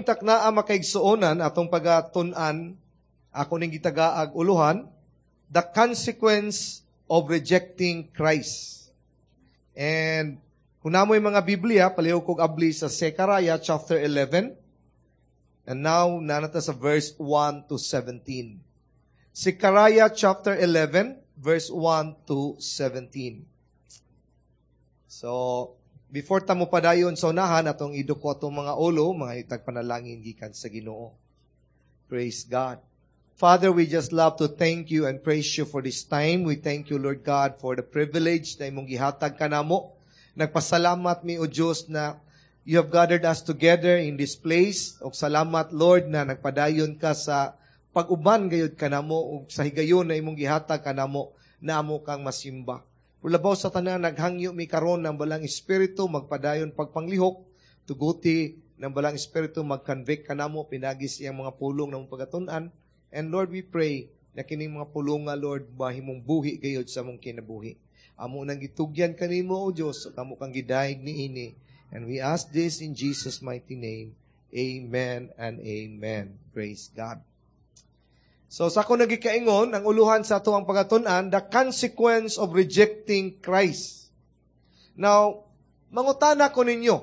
Taknaa, makaigsuonan, atong pagatun-an, ako ning gitagaag uluhan, "The Consequence of Rejecting Christ." And kung naa moy mga Biblia, palihog kog abli sa Zechariah chapter 11. And now, naa na ta sa verse 1 to 17. Zechariah chapter 11, verse 1 to 17. So, before ta mo padayon sa unahan, atong iduko atong mga ulo, mangayo tag panalangin gikan sa Ginoo. Praise God. Father, we just love to thank you and praise you for this time. We thank you, Lord God, for the privilege na imong gihatag kanamo. Nagpasalamat mi, O Diyos, na you have gathered us together in this place. Og salamat, Lord, na nagpadayon ka sa pag-uban gayud kanamo ug sa higayon na imong gihatag kanamo na amo kang masimba. Labaw sa tanan, naghangyo mi karon ng Balaang Espiritu magpadayon pagpanglihok, tuguti ng Balaang Espiritu mag-convict kanamo pinaagi sa iyang mga pulong na pagatunan. And Lord, we pray na kining mga pulonga, Lord, mahimong buhi gayud sa among kinabuhi. Amo nang gitugyan kanimo, O Dios, ug amo kang gidayeg niini. And we ask this in Jesus' mighty name. Amen and amen. Praise God. So sa ako nagikaingon, ang uluhan sa ato ang pagatun-an, "The Consequence of Rejecting Christ." Now, mangutana ko ninyo,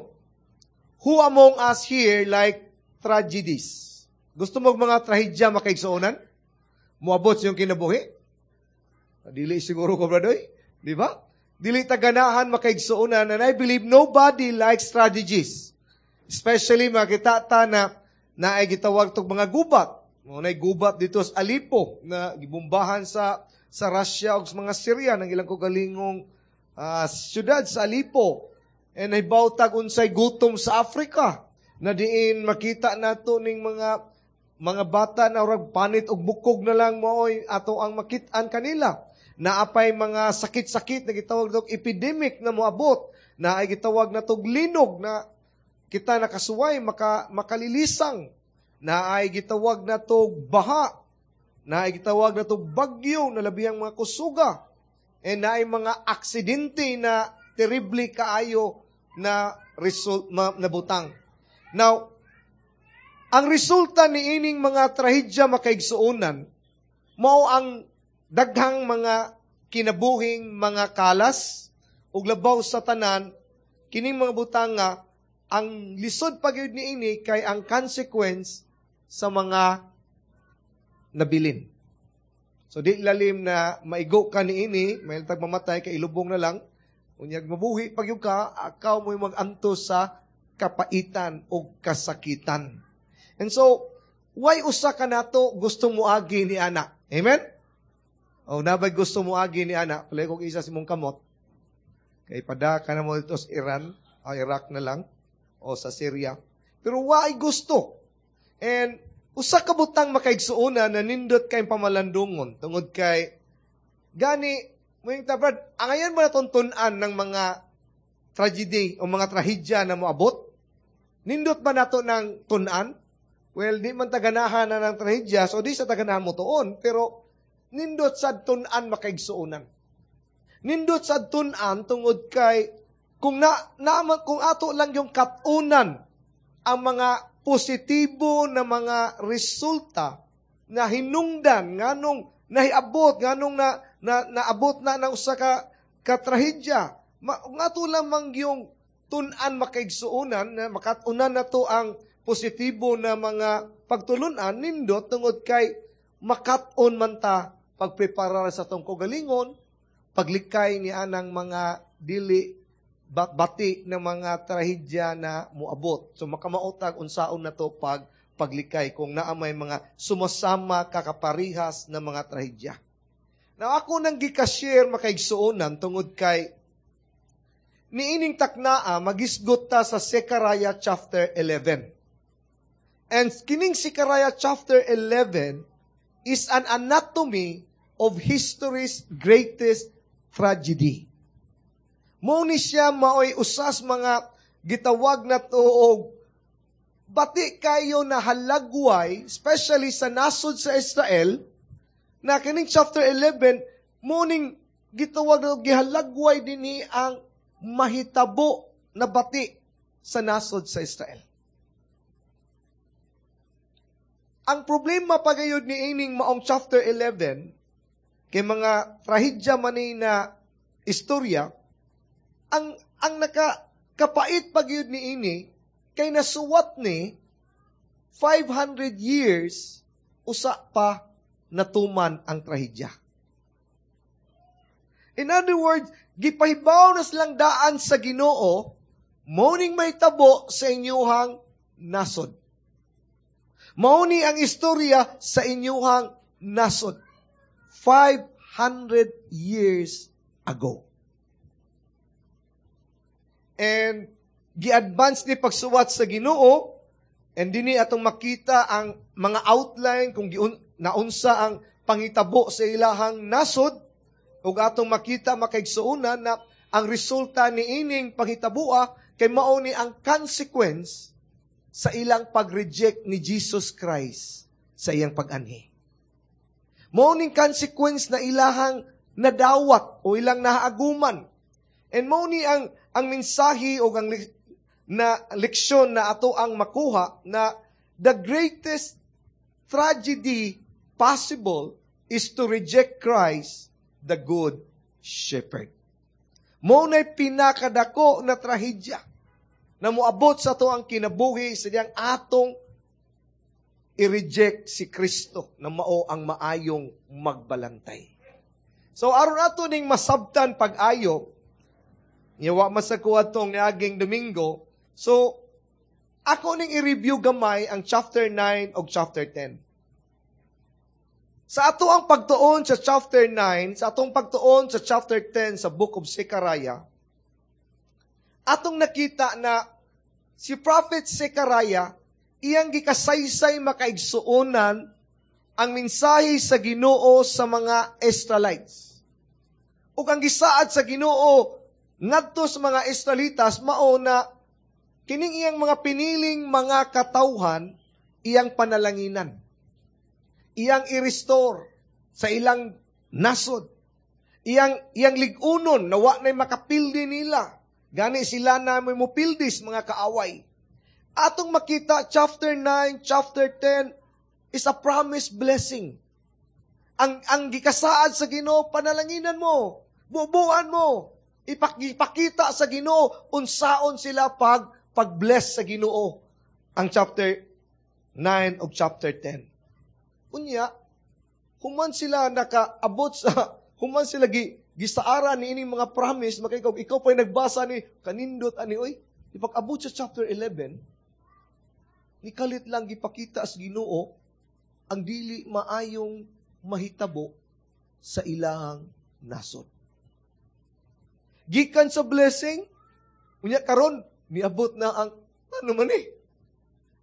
who among us here like tragedies? Gusto mo mga trahedya, makaigsuonan? Muabot sa iyong kinabuhi? Dili siguro ko, bradoy. Di ba? Dili ta ganahan, makaigsuonan, and I believe nobody likes tragedies. Especially makita ta na naay gitawag tog mga gubat. Mao nay gubat dito sa Aleppo na gibombahan sa Russia ug sa mga Syria ng ilang kaugalingong syudad sa Aleppo. And nahibaw tag unsay gutom sa Africa na diin makita nato ning mga bata na urag panit og bukog na lang maoy ato ang makit-an kanila. Naapay mga sakit-sakit na gitawag og epidemic na moabot, na ay gitawag na tog linog na kita nakasuway makalilisang, na ay gitawag na tog baha, na ay gitawag na tog bagyo na labihang mga kusuga, and na ay mga aksidente na terrible kaayo na result na butang. Now, ang resulta ni ining mga trahedya, makaigsuonan, mao ang daghang mga kinabuhing mga kalas ug labaw sa tanan, kining mga butang nga ang lisod pa gyud niini kay ang consequence sa mga nabilin. So di lalim na maigo ka niini, may tag mamatay kay ilubong na lang. Unyag mabuhi pag yung ka, akaw mo'y mag-antos sa kapaitan o kasakitan. And so, why usa ka nato gusto mo agi ni ana? Amen? O nabay gusto mo agi ni ana, palihog kog isa sa imong kamot. Kay pada ka na mo dito sa Iran, o Iraq na lang, o sa Syria. Pero why gusto? And usa ka butang, makaigsuonan, na nindot kay pamalandungon tungod kay gani mo yung tabad, angayan mo na tun-an ng mga tragedy o mga trahedya na moabot? Nindot ba nato ng tun-an? Well, di man taganahan na ng trahedya, so di sa taganahan mo tuon, pero nindot sa tun-an, makaigsuonan. Nindot sa tun-an tungod kay kung na kung ato lang yung katunan ang mga positibo na mga resulta na hinungdan nganong nahiabot, nganong na naabot na ng usa ka trahedya kung ato lamang yung tun-an, makaigsuonan, na makatunan na to ang positibo na mga pagtulunan, nindot tungod kay makat-on man ta pagpreparar sa atong kaugalingon paglikay ni anang mga dili bati ng mga trahedya na muabot. So makamaotag unsaon na to paglikay kung naa may mga sumasama kakaparihas na mga trahedya. Now ako nang gika-share, makaigsuonan, tungod kay niining taknaa magisgot ta sa Zechariah chapter 11. And kining Zechariah chapter 11 is an anatomy of history's greatest tragedy. Mao ni siya maoy usas mga gitawag na tuog bati kayo na halagway, especially sa nasod sa Israel, na kining chapter 11, muning gitawag na gihalagway dinhi ang mahitabo na bati sa nasod sa Israel. Ang problema pagayod ni ining maong chapter 11, kay mga trahedya man ni na istorya, ang naka kapait pagyud ni ini kay nasuwat ni 500 years usa pa natuman ang trahedya. In other words, gipahibaw na silang daan sa Ginoo, mao ning mahitabo sa inyuhang nasod. Mao ni ang istorya sa inyuhang nasod. 500 years ago. And gi-advance ni pagsuwat sa Ginoo, and dinhi atong makita ang mga outline kung naunsa ang pangitabo sa ilahang nasod, ug atong makita, makaigsuonan, na ang resulta ni ining panghitaboa kay mao ni ang consequence sa ilang pag-reject ni Jesus Christ sa iyang pag-anhi. Mao ning consequence na ilahang nadawat o ilang naaguman. And mao ni ang mensahe o ang na leksyon na ato ang makuha na the greatest tragedy possible is to reject Christ, the Good Shepherd. Mao na'y pinakadako na trahedya na moabot sa ato ang kinabuhi sa diyang atong i-reject si Kristo na mao ang maayong magbalantay. So aron ato ning masabtan pag-ayo, niwa masakuha tong niaging Domingo, so ako ning i-review gamay ang chapter 9 o chapter 10. Sa ato ang pagtuon sa chapter 9, sa atong pagtuon sa chapter 10 sa Book of Zechariah, atong nakita na si Prophet Zechariah, iyang gikasaysay, makaigsuonan, ang mensahe sa Ginoo sa mga Israelites. Ug ang gisaad sa Ginoo ngadto sa mga Israelitas mao na kining iyang mga piniling mga katawhan, iyang panalanginan. Iyang i-restore sa ilang nasod. Iyang lig-unon na wa na'y makapildi nila. Gani sila na may mupildis mga kaaway. Atong makita, chapter 9, chapter 10 is a promised blessing. Ang gikasaad sa Ginoo, panalanginan mo, bubuan mo, ipakita sa Ginoo unsaon sila pag pag-bless sa Ginoo, ang chapter 9 o chapter 10. Unya, human sila nakaabot sa, human sila gisaara ni ining mga promise, makikaw, ikaw pa'y nagbasa ni, kanindot ani, oy, ipag-abot sa chapter 11, nikalit lang gipakita sa Ginoo ang dili maayong mahitabo sa ilahang nasod. Gikan sa blessing, unya karon niabot na ang ano man eh.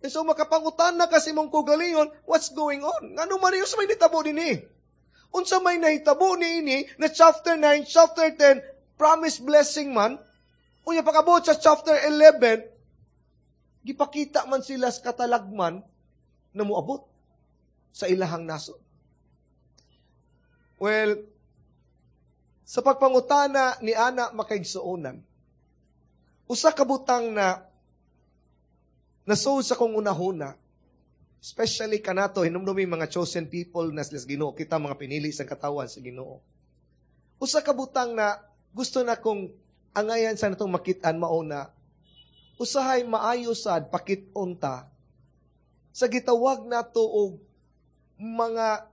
And so makapangutan na kasi mong kugalingon, what's going on? Ngano man yung sa may nitabo din eh? Unsa may nahitabo ni ini na chapter 9, chapter 10, promise blessing man, unya pag-abot sa chapter 11, gipakita man sila sa katalagman na muabot sa ilahang nasod. Well, sa pagpangutana ni ana, makaigsuonan, usa ka butang na nasuod sa kong unahuna, especially kanato, hinumdumi mga chosen people na sila sa Ginoo, kita mga pinili sa katawan sa Ginoo. Usa ka butang na gusto na kong angayan sa natong makit-an mao na usahay maayo sad pakit-on ta sa gitawag nato og mga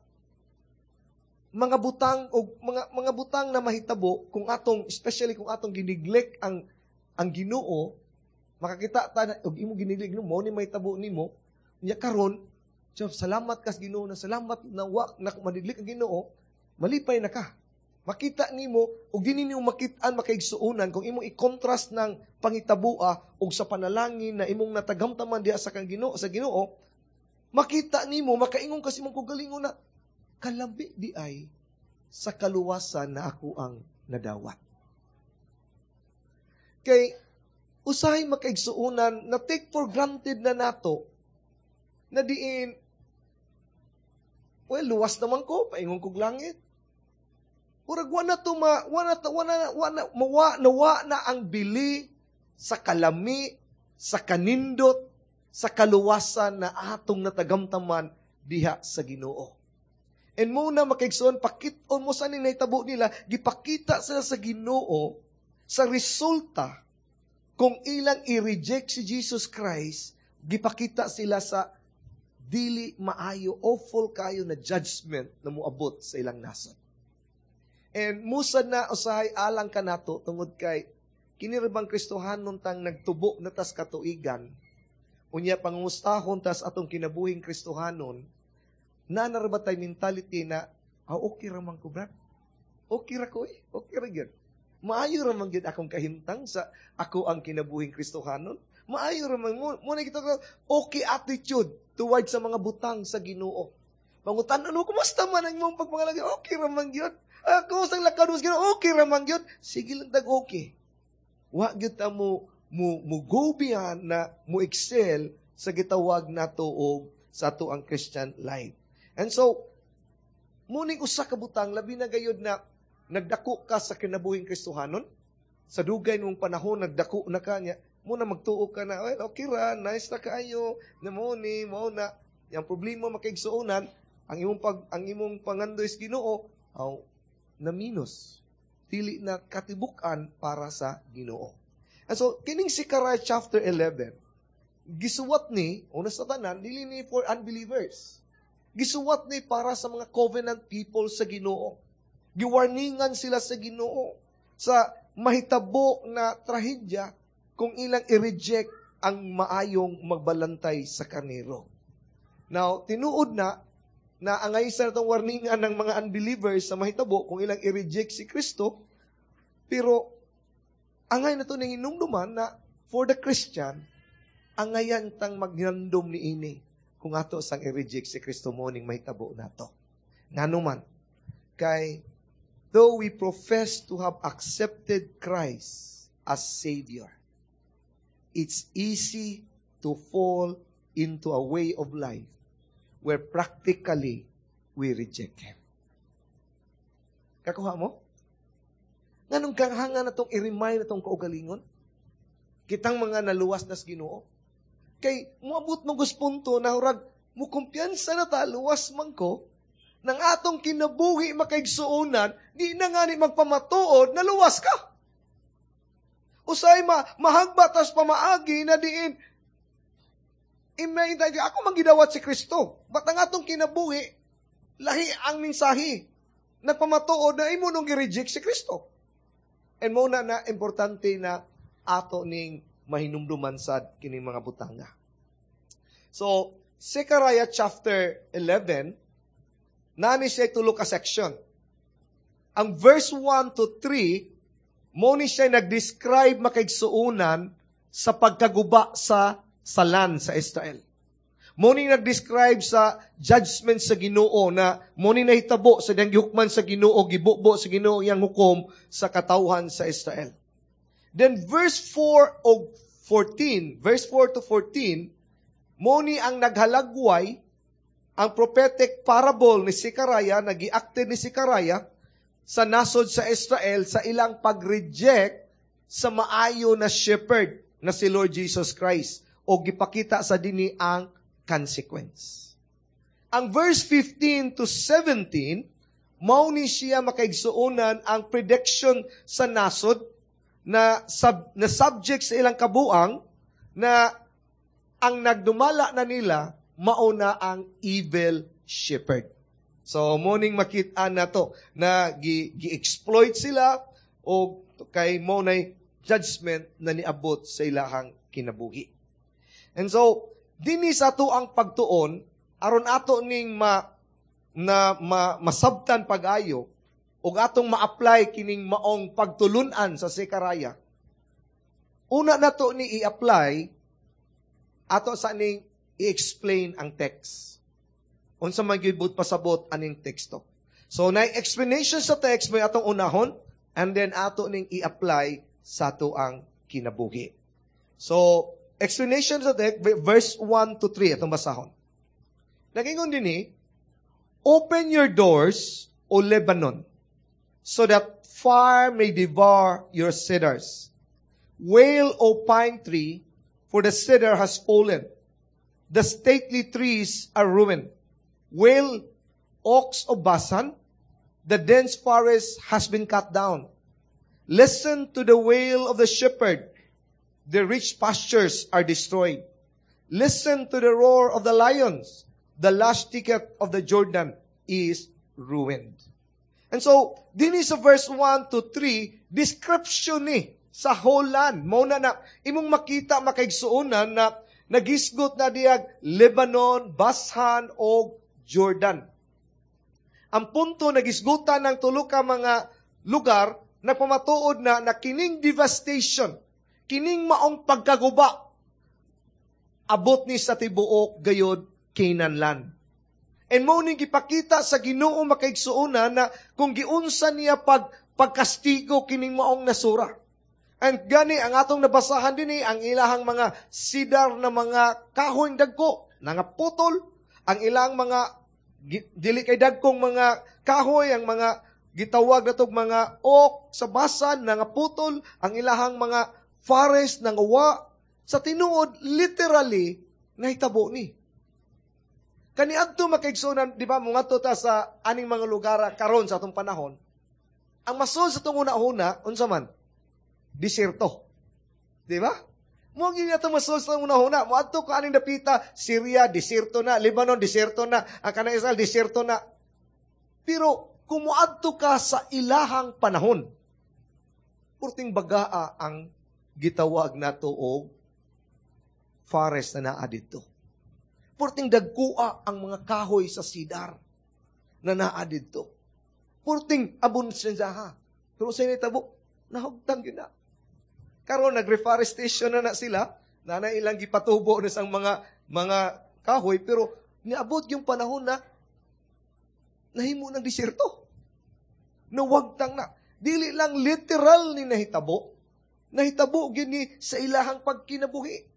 butang o mga butang na mahitabo kung atong, especially kung atong gineglect ang Ginoo. Makakita ta na og imo gineglect mo ni mahitabo nimo. Nya karon, so, salamat kas Ginoo na salamat na wa na maneglect ang Ginoo, malipay na ka. Makita nimo og dili nimo makit-an, makaigsuonan, kung imong i-contrast ng pangitaboa og sa panalangin na imong natagamtaman diha sa kang Ginoo, sa Ginoo, makita nimo, makaingon kasi imong kaugalingon na kalami di ay sa kaluwasan na ako ang nadawat. Kay usahay, makaigsuonan, na take for granted na nato na diin, well, luwas naman ko, paingon kog langit. Murag wa na to ma, wa na, wa na, wa na, mawa, nawa na ang bili sa kalami, sa kanindot, sa kaluwasan na atong natagamtaman. diha sa Ginoo. And muna, makaigsoon, pakit-on mo sa ning nahitabo nila, gipakita sila sa Ginoo sa resulta kung ilang i-reject si Jesus Christ, gipakita sila sa dili maayo, awful kayo na judgment na muabot sa ilang nasod. And musa na usahay alang kanato tungod kay kini ra bang Kristohanon tang nagtubo na tas katuigan, unya pangustahon tas atong kinabuhing Kristohanon, na ba tay mentality na, "Ah, okay ra man ko, brad. Okay ra ko eh. Okay ra gyud. Maayo ra man gyud akong kahimtang sa ako ang kinabuhing Kristohanon. Maayo ra man mo." Mo na kita okay attitude towards sa mga butang sa Ginoo. Pangutan ano, "Kumusta man ang imong pagpangalagi?" "Okay ra man gyud." "Ah, kumusta ang lakad sa Ginoo?" "Okay ra man gyud." Sige lang tag okay. Wa gyud ta mo go beyond na mo excel sa gitawag nato og sa ato ang Christian life. And so, muning usa ka butang, labi na gayud na nagdako ka sa kinabuhing Kristohanon, sa dugay mong panahon nagdako na ka niya, mo na magtuo ka na, "Well, okay ra, nice na kaayo," na mo ni, mo na, yung problema, makaigsuonan, ang imong pangandoy sa Ginoo, aw, na minus. Dili na katibukan para sa Ginoo. And so, kining Zechariah chapter 11, gisuwat ni, una sa tanan, dili ni for unbelievers. Gisuwat ni para sa mga covenant people sa Ginoo. Giwarningan sila sa Ginoo sa mahitabo na trahedya kung ilang i-reject ang maayong magbalantay sa karnero. Now, tinuod na na angay sa itong warningan ng mga unbelievers sa mahitabo kung ilang i-reject si Kristo, pero angay na ito ning hinumduman na for the Christian, angayan tang magnandom ni ini kung ato sang i-reject si Kristo mo ning mahitabo nato. Ngano man, kay though we profess to have accepted Christ as Savior, it's easy to fall into a way of life where practically we reject Him. Kakuha mo? Nganong kahanga na itong i-remind na itong kaugalingon? Kitang mga naluwas na sa Ginoo. Kay muabot mo punto na hurag mo kumpiyansa na ta, luwas man ko, nang atong kinabuhi, makaigsuonan, di na nga ni magpamatuod na luwas ka. Usay mahagba tas pamaagi na diin imay ako manggidawat si Kristo. Ba't ang atong kinabuhi, lahi ang mensahe? Nagpamatuod na imo nung gi-reject si Kristo. And mo na na importante na ato ning mahinumduman sad kining mga butanga. So, Zechariah chapter 11, nani siya tulo ka section. Ang verse 1 to 3, mo ni siya nag-describe, makaigsuonan, sa pagkaguba sa salan sa Israel. Mo ni nag-describe sa judgment sa Ginoo na mo ni nahitabo sa diyang gihukman sa Ginoo, gibubo sa Ginoo iyang hukom sa katawhan sa Israel. Then verse 4 o 14, verse 4 to 14, mo ni ang naghalagway ang prophetic parable ni Zechariah, nagiakte ni Zechariah sa nasod sa Israel sa ilang pag-reject sa maayo na shepherd na si Lord Jesus Christ o gipakita sa dinhi ang consequence. Ang verse 15 to 17, mao ni siya, makaigsuonan, ang prediction sa nasod na subject sa ilang kabuang na ang nagdumala na nila mauna ang evil shepherd. So, morning makita na to na gi-exploit sila o kay mo na judgment na niabot sa ilahang kinabuhi. And so, dinhi sa ato ang pagtuon, aron ato ning ma, na ma, masabtan pag-ayo, ug atong ma-apply kining maong pagtulunan sa Zechariah. Una na to ni i-apply, ato sa ning i-explain ang text. Unsa man gyud pasabot aning teksto. So, na explanation sa text may atong unahon, and then ato ning i-apply sa ato ang kinabuhi. So, explanation sa text, verse 1 to 3, atong basahon. Nagingon din, "Open your doors, O Lebanon, so that fire may devour your cedars. Wail, O pine tree, for the cedar has fallen. The stately trees are ruined." Wail, oaks of Basan, the dense forest has been cut down. Listen to the wail of the shepherd. The rich pastures are destroyed. Listen to the roar of the lions. The lush thicket of the Jordan is ruined. And so, dinhi sa verse 1 to 3, description ni sa whole land. Mao na na, imong makita, makaigsuonan, na nagisgot na diyag Lebanon, Bashan, o Jordan. Ang punto, nagisgutan ng tulo ka mga lugar, nagpamatuod na na kining devastation, kining maong pagkaguba, abot ni sa tibuok gayod Canaan land. And mao ning gipakita sa Ginoo, makaigsuonan, na kung giunsa niya pagkastigo kining maong nasura. And gani ang atong nabasahan dinhi, ang ilahang mga cedar na mga kahoy dagko nangaputol, ang ilang mga dili kay dagkong mga kahoy, ang mga gitawag natog mga oak sa Basan nangaputol, ang ilahang mga forest nangawa. Sa tinuod, literally nahitabo ni. Kaniadto, makaigsuonan, di ba, mungadto ta sa aning mga lugar karon sa atong panahon, ang masud sa atong una-una, unsa man? Diserto. Di ba? Mo gyud ato masud sa atong una-una. Moadto ka aning dapita, Syria, diserto na, Lebanon, diserto na, ang kanang Israel, diserto na. Pero kung moadto ka sa ilahang panahon, purting bagaa ang gitawag nato og forest na naa didto. Purting dagkua ang mga kahoy sa cedar na naa didto. Purting abon siya ha. Pero sa nitabo, nahugtang yun na. Karon nag-reforestation na na sila, na na ilang gipatubo na sang mga kahoy, pero niabot yung panahon na nahimo ng disyerto. Nawagtang na. Dili lang literal ni nahitabo, nahitabo gini sa ilahang pagkinabuhi.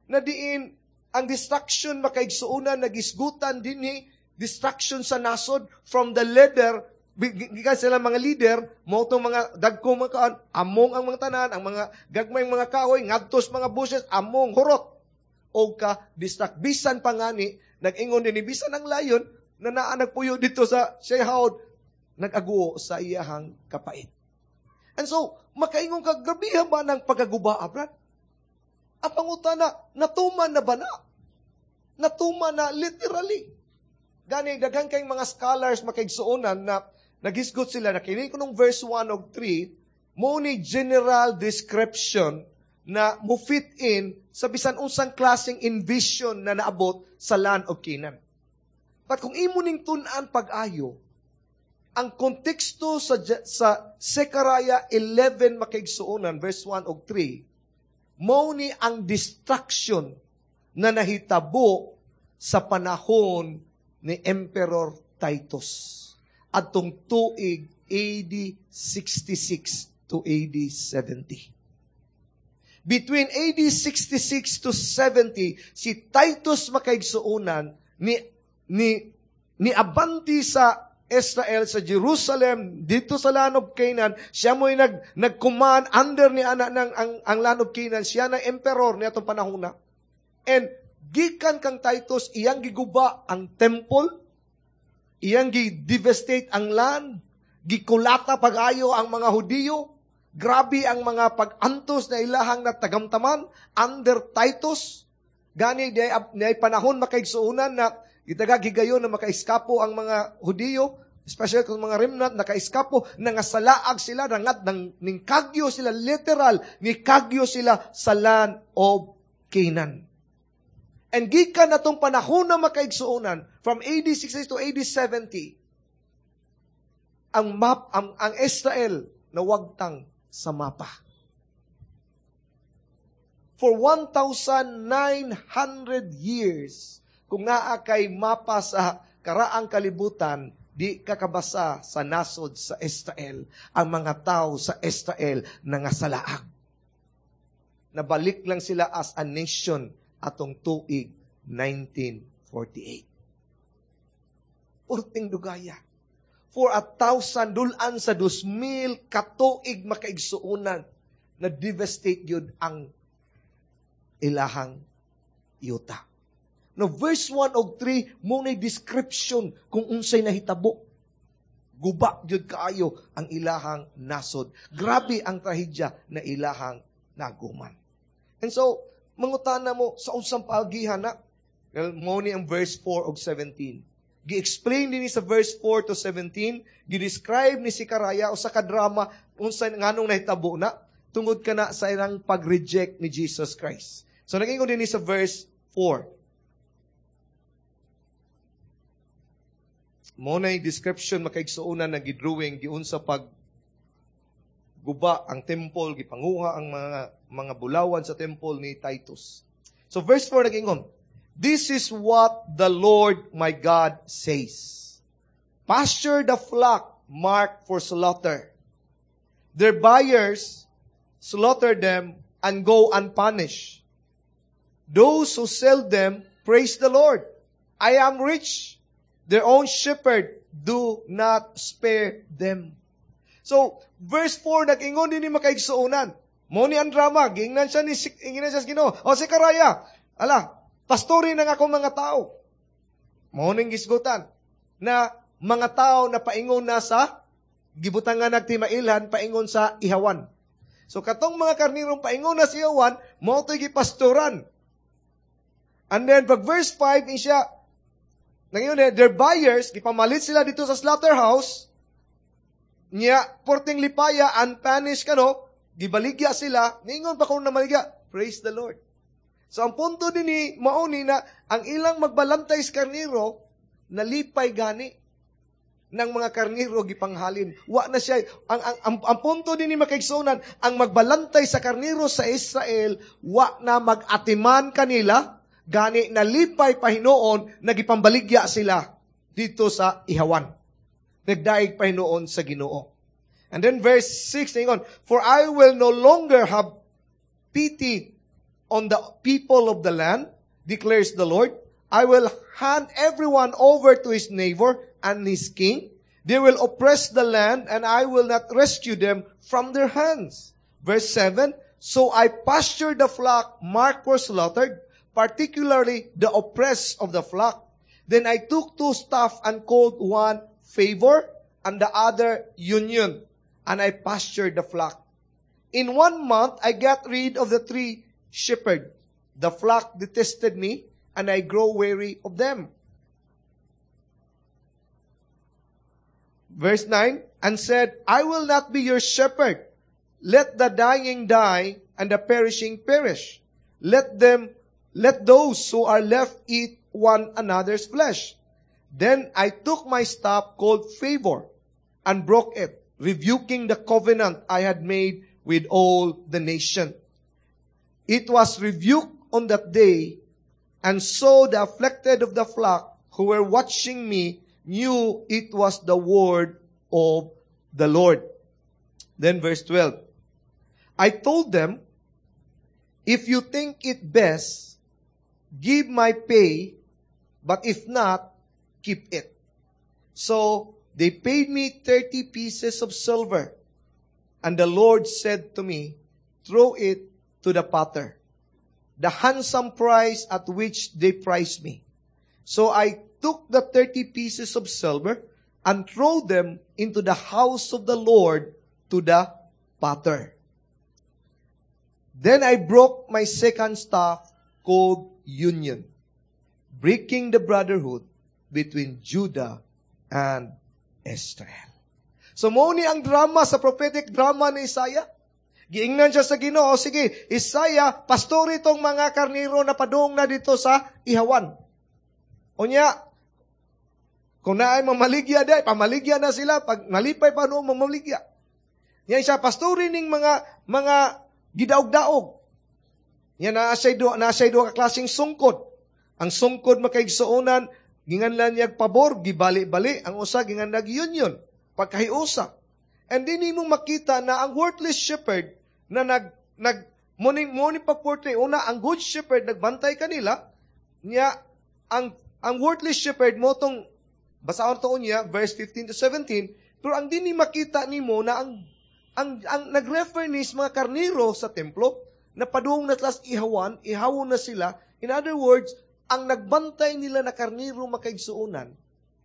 Na diin ang destruction, makaigsuonan, nagisgutan dinhi destruction sa nasod from the leader, gikan sila mga leader mo tong mga dagkong mga kaan, among ang mga tanan, ang mga gagmay mga kahoy ngadtos mga bushes, among hurot og ka destruct. Bisan pa ngani nag-ingon dinhi, bisan ang lion na naa nagpuyo dito sa Shehaod nag-aguo sa iyahang kapait. And so makaingon ka, "Grabihan ba ng pagkaguba, Brad?" Ang pangutana, natuman na ba na? Natuman na literally. Gani, daghan kayong mga scholars, makaigsuonan, na nagisgot sila na kini kunong verse 1 og 3, mo ni general description na mo fit in sa bisan unsang klaseng invasion na naabot sa land of Canaan. But kung imo ning tun-an pag-ayo, ang konteksto sa Zechariah 11, makaigsuonan, verse 1 og 3, mao ni ang destruction na nahitabo sa panahon ni Emperor Titus atong tuig AD 66 to AD 70. Between AD 66 to 70, si Titus, makaigsuonan, ni abanti sa Israel, sa Jerusalem, dito sa land of Canaan. Siya mo'y nag-command under ni ana ng ang land of Canaan. Siya na emperor ni atong panahon na. And gikan kang Titus, iyang giguba ang temple, iyang gi-devastate ang land, gikulata pag-ayo ang mga Hudiyo, grabe ang mga pag-antos na ilahang natagamtaman under Titus. Gani, di ay panahon, makaigsuonan, na gitaga gigayon na makaiskapo ang mga Hudiyo, especially kung mga remnant, nakaiskapo, nangasalaag sila, nangat, nang, ning kagyo sila, literal, ni kagyo sila sa land of Canaan. And gikan na tong panahon na, makaigsuonan, from AD 60 to AD 70, ang map, ang Israel nawagtang sa mapa. For 1,900 years, kung naa kay mapa sa karaang kalibutan, di kakabasa sa nasod sa Israel. Ang mga tao sa Israel nangasalaag. Nabalik lang sila as a nation atong tuig 1948. Purting dugaya. For 1,000, dulan sa 2,000 katuig, makaigsuonan, na devastate yun ang ilahang yuta. No, verse 1 og 3 mo na description kung unsay nahitabo. Guba jud kaayo ang ilahang nasod. Grabe ang trahedya na ilahang naguman. And so, mangutana mo sa unsang paagihan na? Well, mo ni ang verse 4 og 17. Gi-explain din ni sa verse 4 to 17, gi-describe ni si Karaya usa ka drama unsa nganong nahitabo na tungod kana sa ilang pag-reject ni Jesus Christ. So nag-ingon din ni sa verse 4. Mo na description, makaigsuonan, nga gidrawing giunsa pag guba ang temple, gipanguha ang mga bulawan sa temple ni Titus. So verse 4 nag-ingon, "This is what the Lord my God says. Pasture the flock marked for slaughter. Their buyers slaughter them and go unpunished. Those who sell them praise the Lord. I am rich. Their own shepherd do not spare them." So, verse 4, nag-ingon din ni, makaigsuonan. Mo ni ang drama, giingnan siya sa Ginoo. "O si Karaya, ala, pastori ng akong mga tao." Mo ning gisgutan na mga tao na paingon na sa gibutangan nagtimailhan paingon sa ihawan. So katong mga karnirong paingon na sa ihawan, mao to'y gipastoran. And then pag verse 5 ni siya, nangyun their buyers, gipamalit sila dito sa slaughterhouse, niya, porting lipaya, unpunished kano, gibaligya sila, ningon pa kung namaligya, "Praise the Lord." So ang punto din ni mauni na ang ilang magbalantay sa karniro, nalipay gani ng mga karniro gipanghalin. Wa na siya, ang punto din ni, makaigsunan, ang magbalantay sa karniro sa Israel, wa na mag-atiman kanila, gani nalipay pahinuon, nagipambaligya sila dito sa ihawan. Nagdaig pahinuon sa Ginoo. And then verse 6, ningon, "For I will no longer have pity on the people of the land, declares the Lord. I will hand everyone over to his neighbor and his king. They will oppress the land, and I will not rescue them from their hands." Verse 7, "So I pastured the flock marked for slaughtered, particularly the oppressed of the flock. Then I took two staff and called one Favor and the other Union, and I pastured the flock. In one month, I got rid of the three shepherds. The flock detested me, and I grow weary of them." Verse 9, "And said, I will not be your shepherd. Let the dying die, and the perishing perish. Let those who are left eat one another's flesh. Then I took my staff called Favor and broke it, rebuking the covenant I had made with all the nation. It was rebuked on that day, and so the afflicted of the flock who were watching me knew it was the word of the Lord." Then verse 12, "I told them, if you think it best, give my pay, but if not, keep it. So they paid me 30 pieces of silver. And the Lord said to me, throw it to the potter, the handsome price at which they priced me. So I took the 30 pieces of silver and threw them into the house of the Lord to the potter. Then I broke my second staff called Union, breaking the brotherhood between Judah and Israel." So mo ni ang drama sa prophetic drama ni Isaiah. Giingnan siya sa Ginoo, "Sige, Isaiah, pastori itong mga karniro na padung na dito sa ihawan. Unya, kung naay mamaligya day, pamaligya na sila, pag nalipay pa noong mamaligya." Yan siya, pastori ning mga gidaog-daog. Yan, naa siya'y duha ka klaseng sungkod. Ang sungkod, makaigsuonan, ginganlan niya pabor, gibali-bali. Ang usa, ginganlag union, pagkahiusa. And din mong makita na ang worthless shepherd na nag, nag, muning, muning pag-portray, una, ang good shepherd, nagbantay kanila, niya, ang worthless shepherd mo tong, basahon to niya, verse 15 to 17, pero ang din ni makita nimo na ang nag-refer ni sa mga karniro sa templo, na padung na tlas ihawan, ihawon na sila. In other words, Ang nagbantay nila na karniro, makaigsuonan,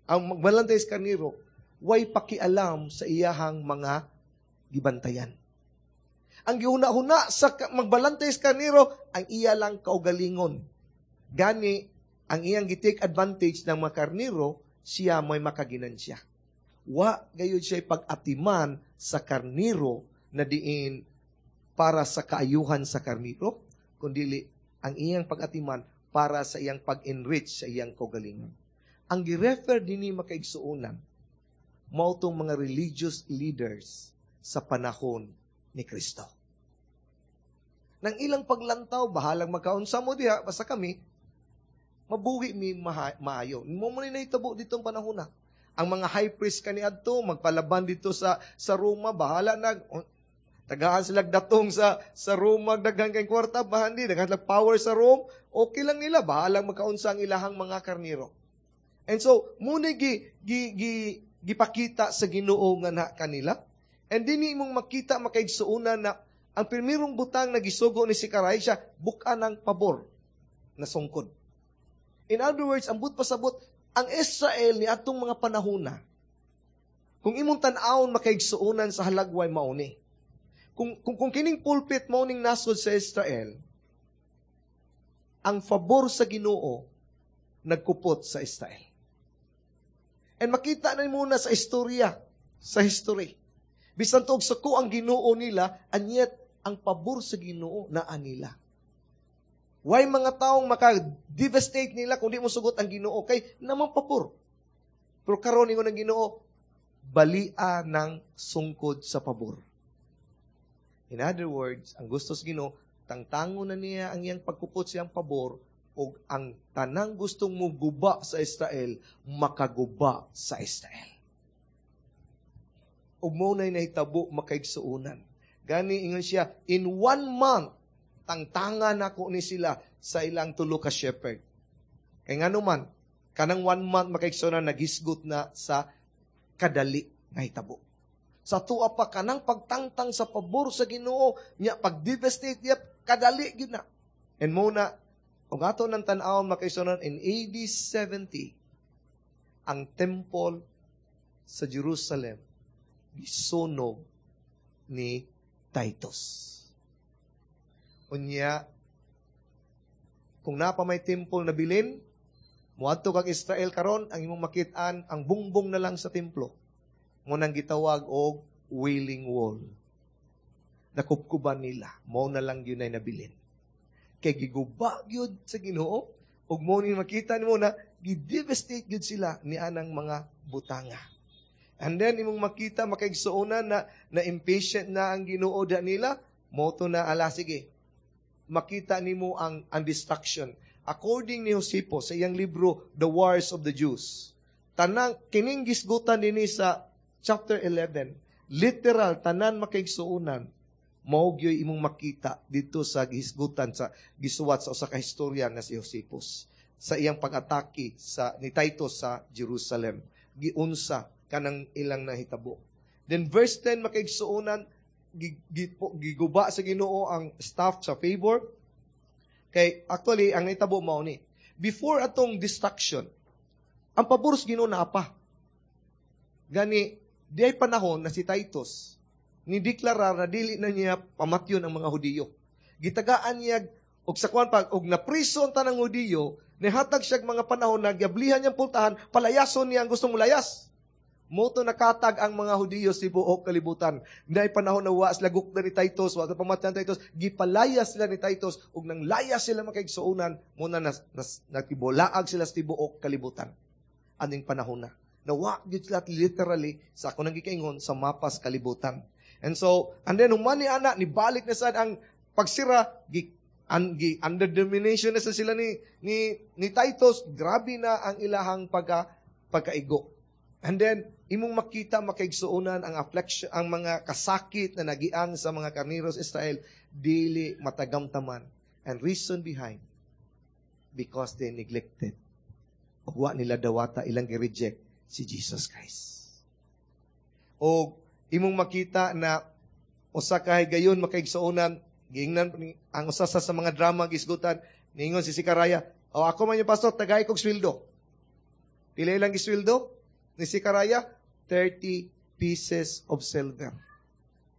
ang magbalantay sa karniro, way pakialam sa iyahang mga gibantayan. Ang gihuna-huna sa magbalantay sa karniro, ang iya lang kaugalingon. Gani, ang iyang gi-take advantage ng mga karniro, siya may makaginansya. Wa gayud siya pag-atiman sa karniro na diin para sa kaayuhan sa karniro, kundili ang iyang pag-atiman para sa iyang pag-enrich sa iyang kaugalingon. Ang gi-refer dinhi, makaigsuonan, mao tong mga religious leaders sa panahon ni Kristo. Nang ilang paglantaw, bahalang magkaunsa mo diha, basta kami, mabuhi mi maayo. Mao man nahitabo ditong panahon na. Ang mga high priest kaniadto magpalaban dito sa Roma, bahala na tagaan sila datong sa Roma, daghan kay kwarta, bahan di daghan power sa Rome, okay lang nila, bahalang magkaunsa ang ilahang mga karniro. And so, muna gi, gi, gi, gipakita sa Ginoo nga na kanila. And dinhi imong makita, makaigsuonan, na ang primerong butang na gisugo ni Zechariah siya, bukan ang pabor na sungkod. In other words, ang but pasabot, ang Israel ni atong mga panahona, kung imong tan-awon, makaigsuonan, sa halagway mauni. Kung kining pulpit mao ning nasod sa Israel, ang fabor sa Ginoo nagkupot sa Israel. And makita na muna sa istorya, sa history. Bisan tuog suko ang Ginoo nila, and yet ang pabor sa Ginoo naa nila. Why mga taong maka-devastate nila kung di mo sugot ang Ginoo kay namang pabor? Pero karon ingon ang Ginoo, balia ng sungkod sa pabor. In other words, ang gusto sa Ginoo, tangtango na niya ang iyang pagkupot siyang pabor ug ang tanang gustong muguba sa Israel, makaguba sa Israel. Ug mao na'y nahitabo, makaigsuonan. Gani ingon siya, in one month, tangtangan nako ni sila sa ilang tulo ka shepherd. Kay ngano man, kanang one month, makaigsuonan, nagisgot na sa kadali nga hitabo. Sa tuwa pa kanang pagtangtang sa pabor sa Ginoo, nya pag-devastate niya, kadali gyud na. And mao na, kung ato ng tan-awon, makaigsuonan, in AD 70, ang temple sa Jerusalem gisunog ni Titus. Unya, kung napa may temple na bilin, muadto kag Israel karon, ang imong makit-an ang bungbong na lang sa templo. Mao nang gitawag og Wailing Wall. Nakupkuban nila, mao na lang yun ay nabilin. Kay giguba gyud sa Ginoo, ug mo ni makita nimo na gi-devastate gyud sila ni anang mga butanga. And then imong makita, makaigsuonan, na na impatient na ang Ginoo da nila, mo to na ala sige. Makita nimo ang destruction. According ni Josephus sa iyang libro The Wars of the Jews, tanang kining gisgutan dinhi sa chapter 11, literal tanan, makaigsuonan, mao gyoy imong makita dito sa gihisgutan sa gisuwat sa usa ka historian na si Josephus sa iyang pag-atake sa ni Titus sa Jerusalem, giunsa kanang ilang nahitabo. Then verse 10, makaigsuonan, giguba sa Ginoo ang staff sa favor. Kay actually ang nahitabo mao ni before atong destruction, ang pabor sa Ginoo naa pa. Gani di ay panahon na si Titus ni deklarar na dili na niya pamatyon ang mga Hudiyo. Gitagaan niya og sa kuan pag og napriso ang tanang Hudiyo, nihatag siya mga panahon na giablihan niyang pultahan, palayason niya ang gustong mulayas. Moto nakatag ang mga Hudiyo sa buok kalibutan. Naay panahon na wa sila gukda ni Titus, wa pamatyan Titus, gipalayas sila ni Titus ug nang layas sila, makaigsuonan, mo na nas, nakibolaag sila sa tibuok kalibutan. Aning panahon na. Nawa gyud sila literally sa ako nang gikaingon sa mapas kalibutan. And so, and then human ni ana ni balik na sad ang pagsira gi, an, gi under domination na sa sila ni Titus, grabe na ang ilahang pagkaigo. And then imong makita, makaigsuonan, ang affliction, ang mga kasakit na nagiang sa mga karniros Israel dili matagamtaman. And reason behind, because they neglected. Ug wa nila dawata, ilang gi-reject si Jesus Christ. O imong makita na usa ka higayon, makaigsuonan, giingnan ang usa sa mga drama gisgutan, niingon si Zechariah, O ako man yung pastor, tagay kog sweldo. Pila ilang gisweldo? Ni Zechariah, 30 pieces of silver.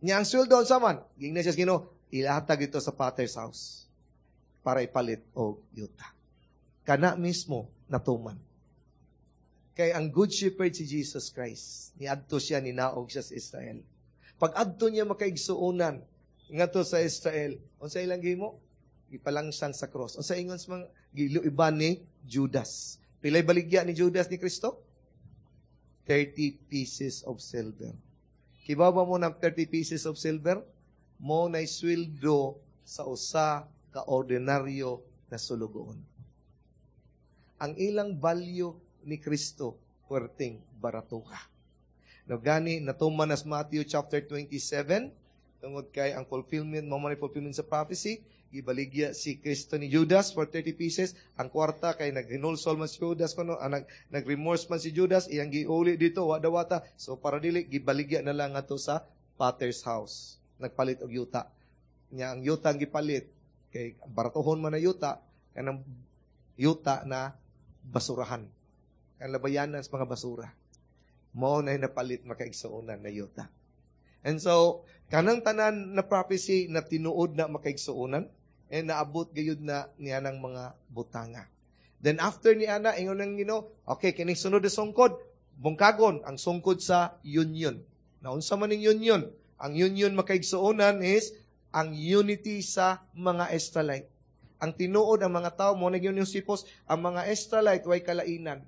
Nya ang sweldo unsa man? Giingnan siya sa Ginoo, ilatag ito sa Potter's house para ipalit og yuta. Kana mismo natuman. Kay ang good shepherd si Jesus Christ, niadto siya, ninaog siya sa Israel. Pag adto niya, makaigsuonan ngadto sa Israel, unsa ilang gihimo? Gipalangsang sa cross. Unsa ingon sa mga giluiban ni Judas? Pilay baligya ni Judas ni Kristo? 30 pieces of silver. Kibaw ba mo ng 30 pieces of silver? Mao na sweldo sa usa ka ordinaryo na sulugoon. Ang ilang value ni Kristo, puwerteng baratuha. No gani natuman nas Matthew chapter 27 tungod kay ang fulfillment mo man fulfillment sa prophecy, gibaligya si Kristo ni Judas for 30 pieces. Ang kwarta kay naghinulsol man si Judas kuno, ang nag-remorse man si Judas, iyang giuli dito wa dawata. So para dili, gibaligya na lang ato sa Potter's house, nagpalit og yuta. Nya ang yuta ang gipalit kay baratuhon man na yuta, kanang yuta na basurahan, ang labayanan sa mga basura, mao na napalit, makaigsuonan, na yuta. And so kanang tanan na prophecy na tinuod na, makaigsuonan, and naabot gayud na niya ng mga butanga. Then after ni ana, ingon ng Ginoo, okay, kining sunod na sungkod, bungkagon ang sungkod sa union. Naunsa man ning union? Ang union, makaigsuonan, is ang unity sa mga Israelite. Ang tinuod, ang mga tao mo nag Josephus, ang mga Israelite way kalainan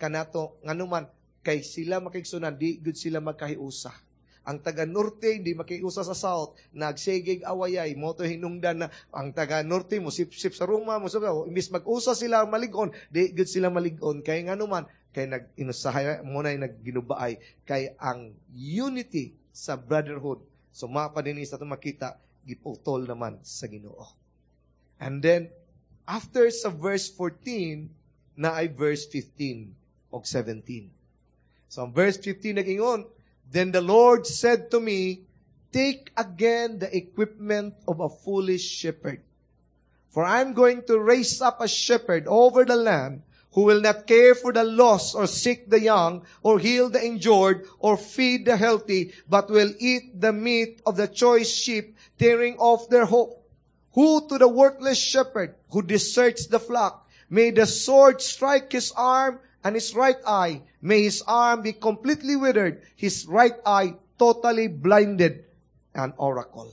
kanato. Nganuman kay sila, makaigsuonan, di gud sila magkahiusa. Ang taga-norte hindi makiusa sa south, nagsigig awayay mo to. Hinungdan na ang taga-norte mo sip-sip sa Roma mo, so imbis mag-usa sila malig-on, di gud sila malig-on. Kay nganuman kay nag inusahay mo na nagginubaay kay ang unity sa brotherhood. So mapa din sa makita giputol naman sa Ginoo. And then after sa verse 14 na ay verse 15 og 17. So ang verse 15 nag-ingon, "Then the Lord said to me, 'Take again the equipment of a foolish shepherd. For I'm going to raise up a shepherd over the land who will not care for the lost or seek the young or heal the injured or feed the healthy, but will eat the meat of the choice sheep, tearing off their hoof. Woe to the worthless shepherd who deserts the flock. May the sword strike his arm and his right eye. May his arm be completely withered, his right eye totally blinded.'" An oracle.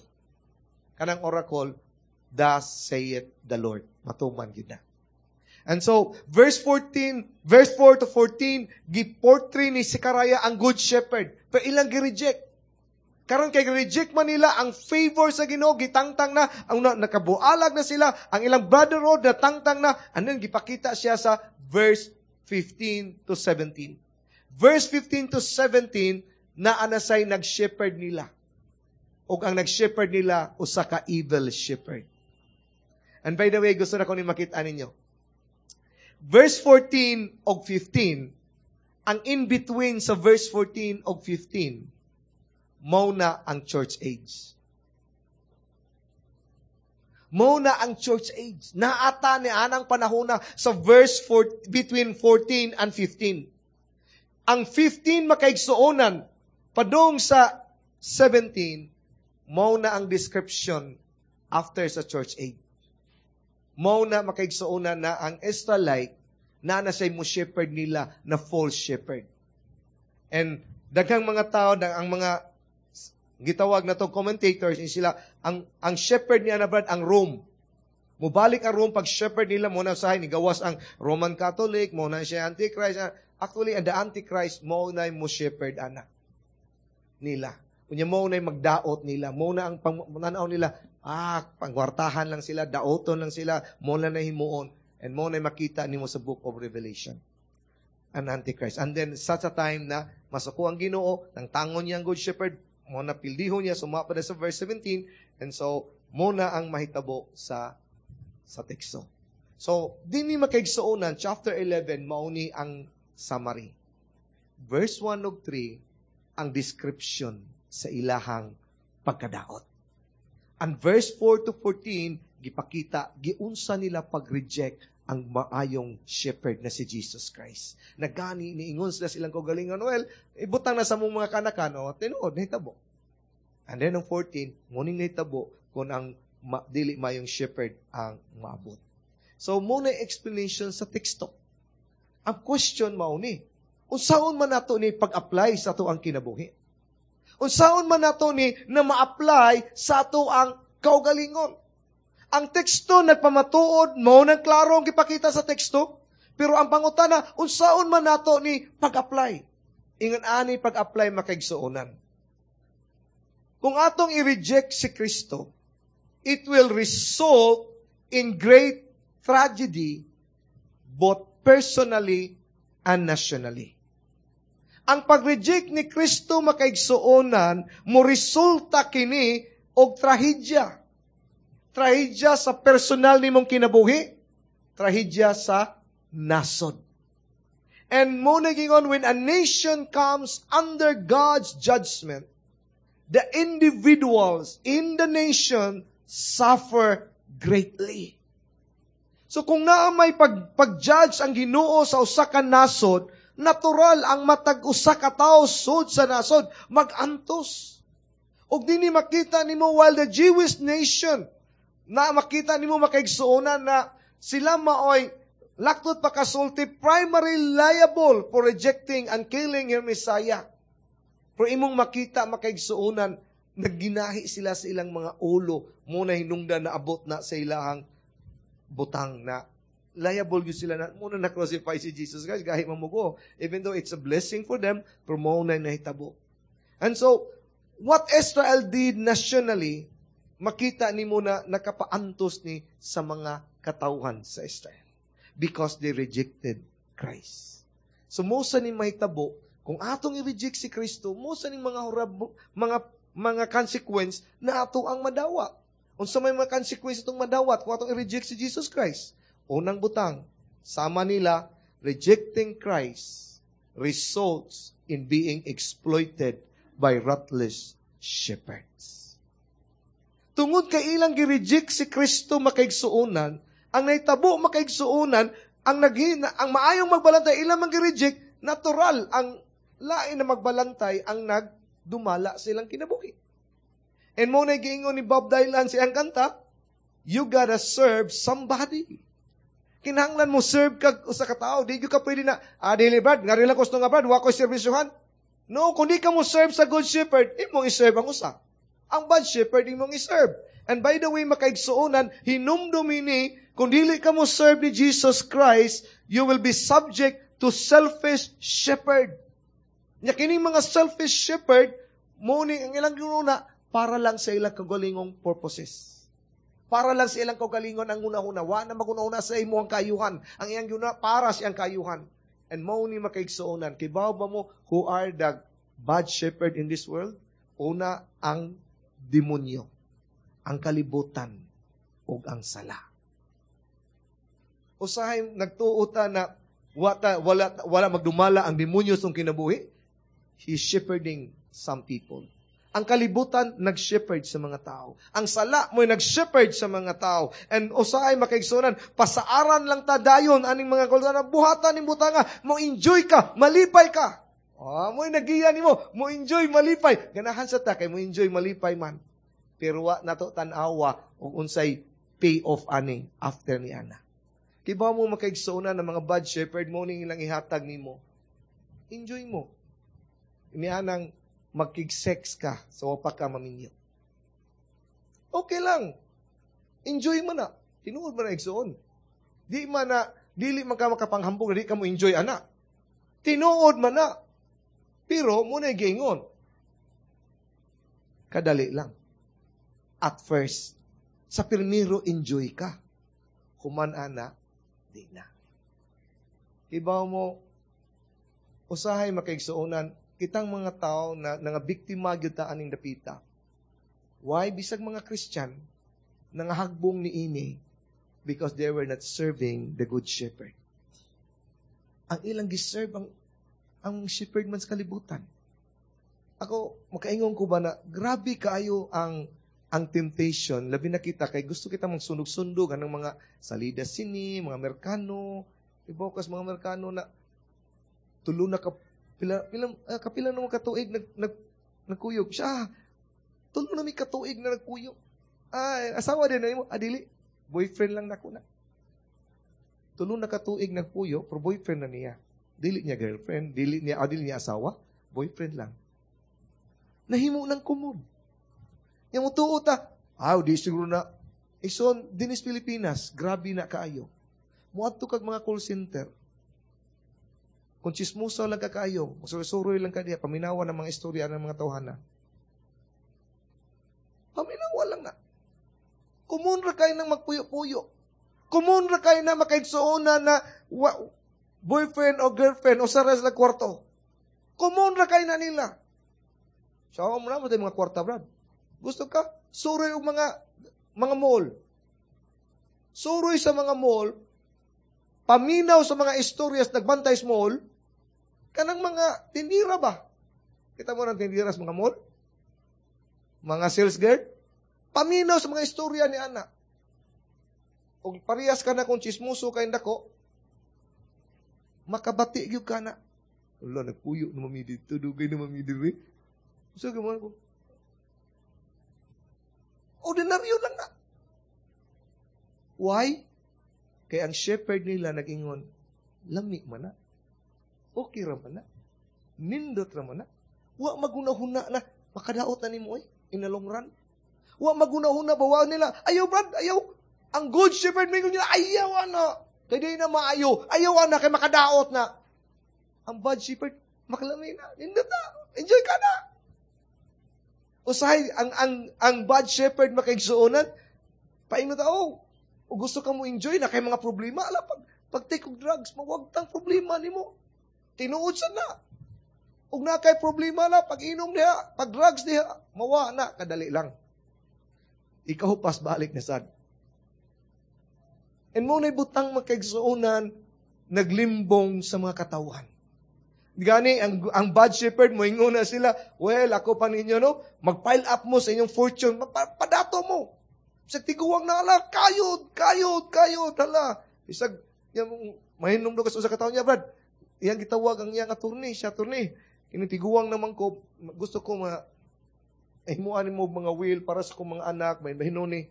Kanang oracle, "Thus saith the Lord." Matuman gid na. And so, verse 14, verse 4 to 14, gi-portray ni Zechariah ang good shepherd. Pero ilang gi-reject. Karon kay reject man nila ang favor sa Ginoo, gitangtang na, ang nakabualag na sila, ang ilang brotherhood na tangtang na, and then gipakita siya sa verse 15 to 17. Verse 15 to 17, na anasay nag-shepherd nila. O ang nag-shepherd nila, usa ka evil shepherd. And by the way, gusto na ko ni makita ninyo. Verse 14 og 15, ang in-between sa verse 14 og 15, mao na ang church age. Mao na ang church age. Naata ni anang panahon na sa verse 4, between 14 and 15. Ang 15, makaigsuonan, padung sa 17, mao na ang description after sa church age. Mao na, makaigsuonan, na ang Israelite na na mo shepherd nila na false shepherd. And daghang mga tao, ang mga gitawag na to commentators, sila ang shepherd niya na brad ang Rome. Mubalik ang Rome pag shepherd nila mo na sa ni gawas ang Roman Catholic mo na siya Antichrist. Actually, ang the Antichrist mo na mo shepherd ana nila. Unya mo na magdaot nila, mo na ang pananaw nila, pangwartahan lang sila, daoton lang sila, mo na nahimuon and mo na makita nimo sa Book of Revelation. An Antichrist. And then such a time na masuko ang Ginoo, nang tangon niya ang good shepherd, mo na pildihon niya, sumapa na sa verse 17, and so, mo na ang mahitabo sa teksto. So, dinhi, makaigsuonan, chapter 11, mauni ang summary. Verse 1 ug 3, ang description sa ilahang pagkadaot. And verse 4 to 14, gipakita, giunsa nila pag-reject Ang maayong shepherd na si Jesus Christ. Nagani niingon sila silang kaugalingon, "Well, ibutang na sa mong mga kanakan," o tinuod nahitabo. And then ang 14, muning nahitabo kung ang dili maayong shepherd ang maabot. So, muna explanation sa teksto. Ang question mao ni, unsaon man nato ni pag-apply sa ato ang kinabuhi? Unsaon man nato ni na ma-apply sa ato ang kaugalingon? Ang teksto nagpamatuod, mao nang klaro ang gipakita sa teksto, pero ang pangutana, unsaon man nato ni pag-apply? Ingon ani pag-apply, makaigsuonan. Kung atong i-reject si Kristo, it will result in great tragedy both personally and nationally. Ang pag-reject ni Kristo, makaigsuonan, mo resulta kini og trahedya. Trahedya sa personal nimong kinabuhi, trahedya sa nasod. And mo nagingon, when a nation comes under God's judgment, the individuals in the nation suffer greatly. So kung naa may pag-judge ang Ginoo sa usa ka nasod, natural ang matag usa ka tawo sud sa nasod magantos. Ug dinhi makita nimo, while the Jewish nation na makita nimo, makaigsuonan, na sila maoy laktod pa kasulti primary liable for rejecting and killing your Messiah. Pero imong makita, makaigsuonan, nagginahi sila sa ilang mga ulo mo na hinungdan na abot na sa ilahang butang na liable gyud sila na muna na crucify si Jesus Christ. Gahi mamugo, even though it's a blessing for them, pero mao na nahitabo. And so what Israel did nationally, makita nimo na nakapaantos ni sa mga katawhan sa Israel because they rejected Christ. So mo sa ni mahitabo kung atong i-reject si Kristo, mo sa ni mga mga consequence na ato ang madawat. Unsa may mga consequence itong madawat kung atong i-reject si Jesus Christ? Unang butang, sama nila, rejecting Christ results in being exploited by ruthless shepherds. Tungod kay ilang gi-reject si Kristo, makaigsuonan, ang nahitabo, makaigsuonan, ang naghina, ang maayong magbalantay ilang man gi-reject, natural ang lain na magbalantay ang nagdumala silang kinabuhi. And mo na giingon ni Bob Dylan sa iyang kanta, "You gotta serve somebody." Kinahanglan mo serve kag usa ka tawo, di gyud ka pwede na, "Ah, dili Brad, ngari lang gusto nga Brad, wa ko serbisyuhan." No, kung di ka mo serve sa good shepherd, imong i-serve ang usa. Ang bad shepherd imong i-serve. And by the way, makaigsuonan, hinumdum ini, kung dili ka mo serve ni Jesus Christ, you will be subject to selfish shepherd. Nya kining mga selfish shepherd, mo ni ang ilang ginuna para lang sa ilang kaugalingong purposes. Para lang sa ilang kaugalingon ang una-una. Wa na maguna-una sa imo ang kaayuhan. Ang iyang guna para sa iyang kaayuhan. And mo ni makaigsuonan. Kibaw ba mo who are the bad shepherd in this world? Una, ang demonyo, ang kalibutan, ug ang sala. Usahay nagtuo ta na wala magdumala ang demonyo sa kinabuhi. He's shepherding some people. Ang kalibutan nag-shepherd sa mga tao. Ang sala mo'y nag-shepherd sa mga tao. And usahay, makaigsuonan, pasaaran lang ta dayon aning mga kultan, buhatan ning butanga, mo enjoy ka, malipay ka. Ah, mo'y nagiya nimo, mo enjoy, malipay. Ganahan sa ta kay mo enjoy, malipay man. Pero wa nato tan-awa og unsay pay off ani after ni ana. Kibaw mo, makaigsuonan, ng mga bad shepherd mo ning ilang ihatag nimo. Enjoy mo. Inianang magkig-sex ka sa wa pa ka maminyo. Okay lang. Enjoy mo na. Tinuod man na, igsuon. Di man na, dili man ka makapanghambog, di ka mo enjoy ana. Tinuod man na. Pero, muna giingon. Kadali lang. At first, sa pirmiro enjoy ka. Human ana, di na. Kibaw mo, usahay, makaigsuonan, kitang mga tao na nga biktima gyud ta aning dapita. Why bisag mga Christian nangahagbong ni ini? Because they were not serving the good shepherd. Ang ilang giserve ang shepherd man sa kalibutan. Ako, makaingon ko ba na grabe kaayo ang Ang temptation, labi na kita kay gusto kita mong sunog-sundog anong mga salida sini, mga Merkano, ibokas mga Merkano na tulo na ka pila pila kapila na mga katuig nag nag nagkuyog siya. Tulo na mi katuig na nagkuyog. Ay, asawa din na imo, adili. Boyfriend lang nako na. Tulo na katuig nagpuyo, pero boyfriend na niya. Dili niya girlfriend, dili niya asawa, boyfriend lang. Nahimo ng kumod. Yang mutuo ta, di siguro na. Ison, dinis Pilipinas, grabe na kaayo. Muadto kag mga call center. Kung chismosa lang ka kaayo, musuroy lang ka diya, paminawa ng mga istorya ng mga tawhana. Paminawa lang na. Kumun ra kayo ng magpuyo-puyo. Kumun ra kayo na makaigsuona na boyfriend o girlfriend o sa na kwarto. Kumun ra kayo na nila. Sa mo na mo mga kwarta, brad. Gusto ka? Suroy og mga mall. Suroy sa mga mall, paminaw sa mga istoryas nagbantay sa mall, kanang mga tindira ba? Kita mo ng tindira sa mga mall? Mga sales girl? Paminaw sa mga istorya ni ana. Og parehas ka na kung chismoso kay dako, makabati gyud ka na. Wala, nagpuyo na mami dito, dugay na mami diri. So, gamahan ko. Ordinaryo lang na. Why? Kay ang shepherd nila nag-ingon, lami man na. Okay ra man na. Nindot ra man na. Wa magunahuna na. Makadaot na nimo in the long run. Wa magunahuna ba nila. Ayaw, brad, ayaw. Ang good shepherd mingon nila, ayaw ana. Kay di na maayo. Ayaw ana kay makadaot na. Ang bad shepherd, makalami na. Nindot na. Enjoy ka na. Usahay, ang bad shepherd makaigsuonan, paingno ta, oh, o gusto ka mo enjoy na kay mga problema, ala, pag take og drugs, mawag tang problema nimo. Tinuod sa na. Ug na kay problema na, pag inom diha, pag drugs diha, mawa na, kadali lang. Ikaw pas balik na sad. And mo na'y butang makaigsuonan, naglimbong sa mga katawan. Gani, ang bad shepherd, mo na sila, well, ako pa ninyo, no? Mag-pile up mo sa inyong fortune, padato mo. Sa tiguang na, ala, kayod, kayod, kayod, hala. Isag, yung, mahinom do sa katawan niya, brad. Iyang gitawag ang iyang attorney, siya attorney. Kinitiguang naman ko, gusto ko himuan mo mga will para sa kong mga anak, may mahinoni.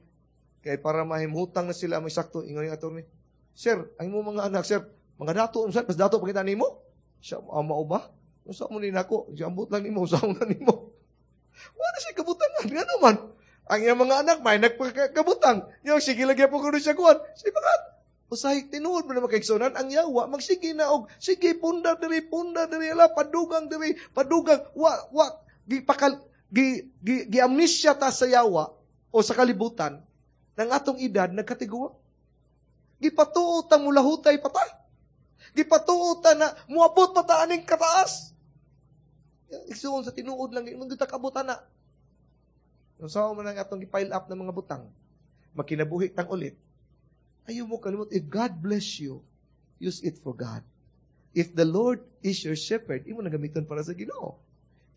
Kay para mahimutang na sila, may sakto, ingon yung attorney. Sir, ang mo mga anak, sir, mga dato, sir, mas dato pakita nimo? Siya, mao ba? Usa mo ni nako, siya ambot lang nimo, usa mo na nimo. Wala siya kabutangan, nga naman. Ang iyang mga anak, may nagpakabutang. Yung sige lagi po kuno siya kuan. Siya bakat. Usahay, tinuod mo na makaigsunan, ang yawa, magsige na og, sige, punda diri, ala, padugang diri, padugang, wa, wa, gi, pakal, gi, gi, gi amnesia ta sa yawa, o sa kalibutan, ng atong edad, nagkatiguwa. Gipatuo tang mulahutay pata. Gipatuo ta na, muabot pa ta aning kataas. Igsuon sa tinuod lang, imong kita kabutan na. Kung saan man ang atong gi-pile up ng mga butang, makinabuhi tang ulit, ayaw mo kalimot, if God bless you, use it for God. If the Lord is your shepherd, imo na gamiton para sa Ginoo.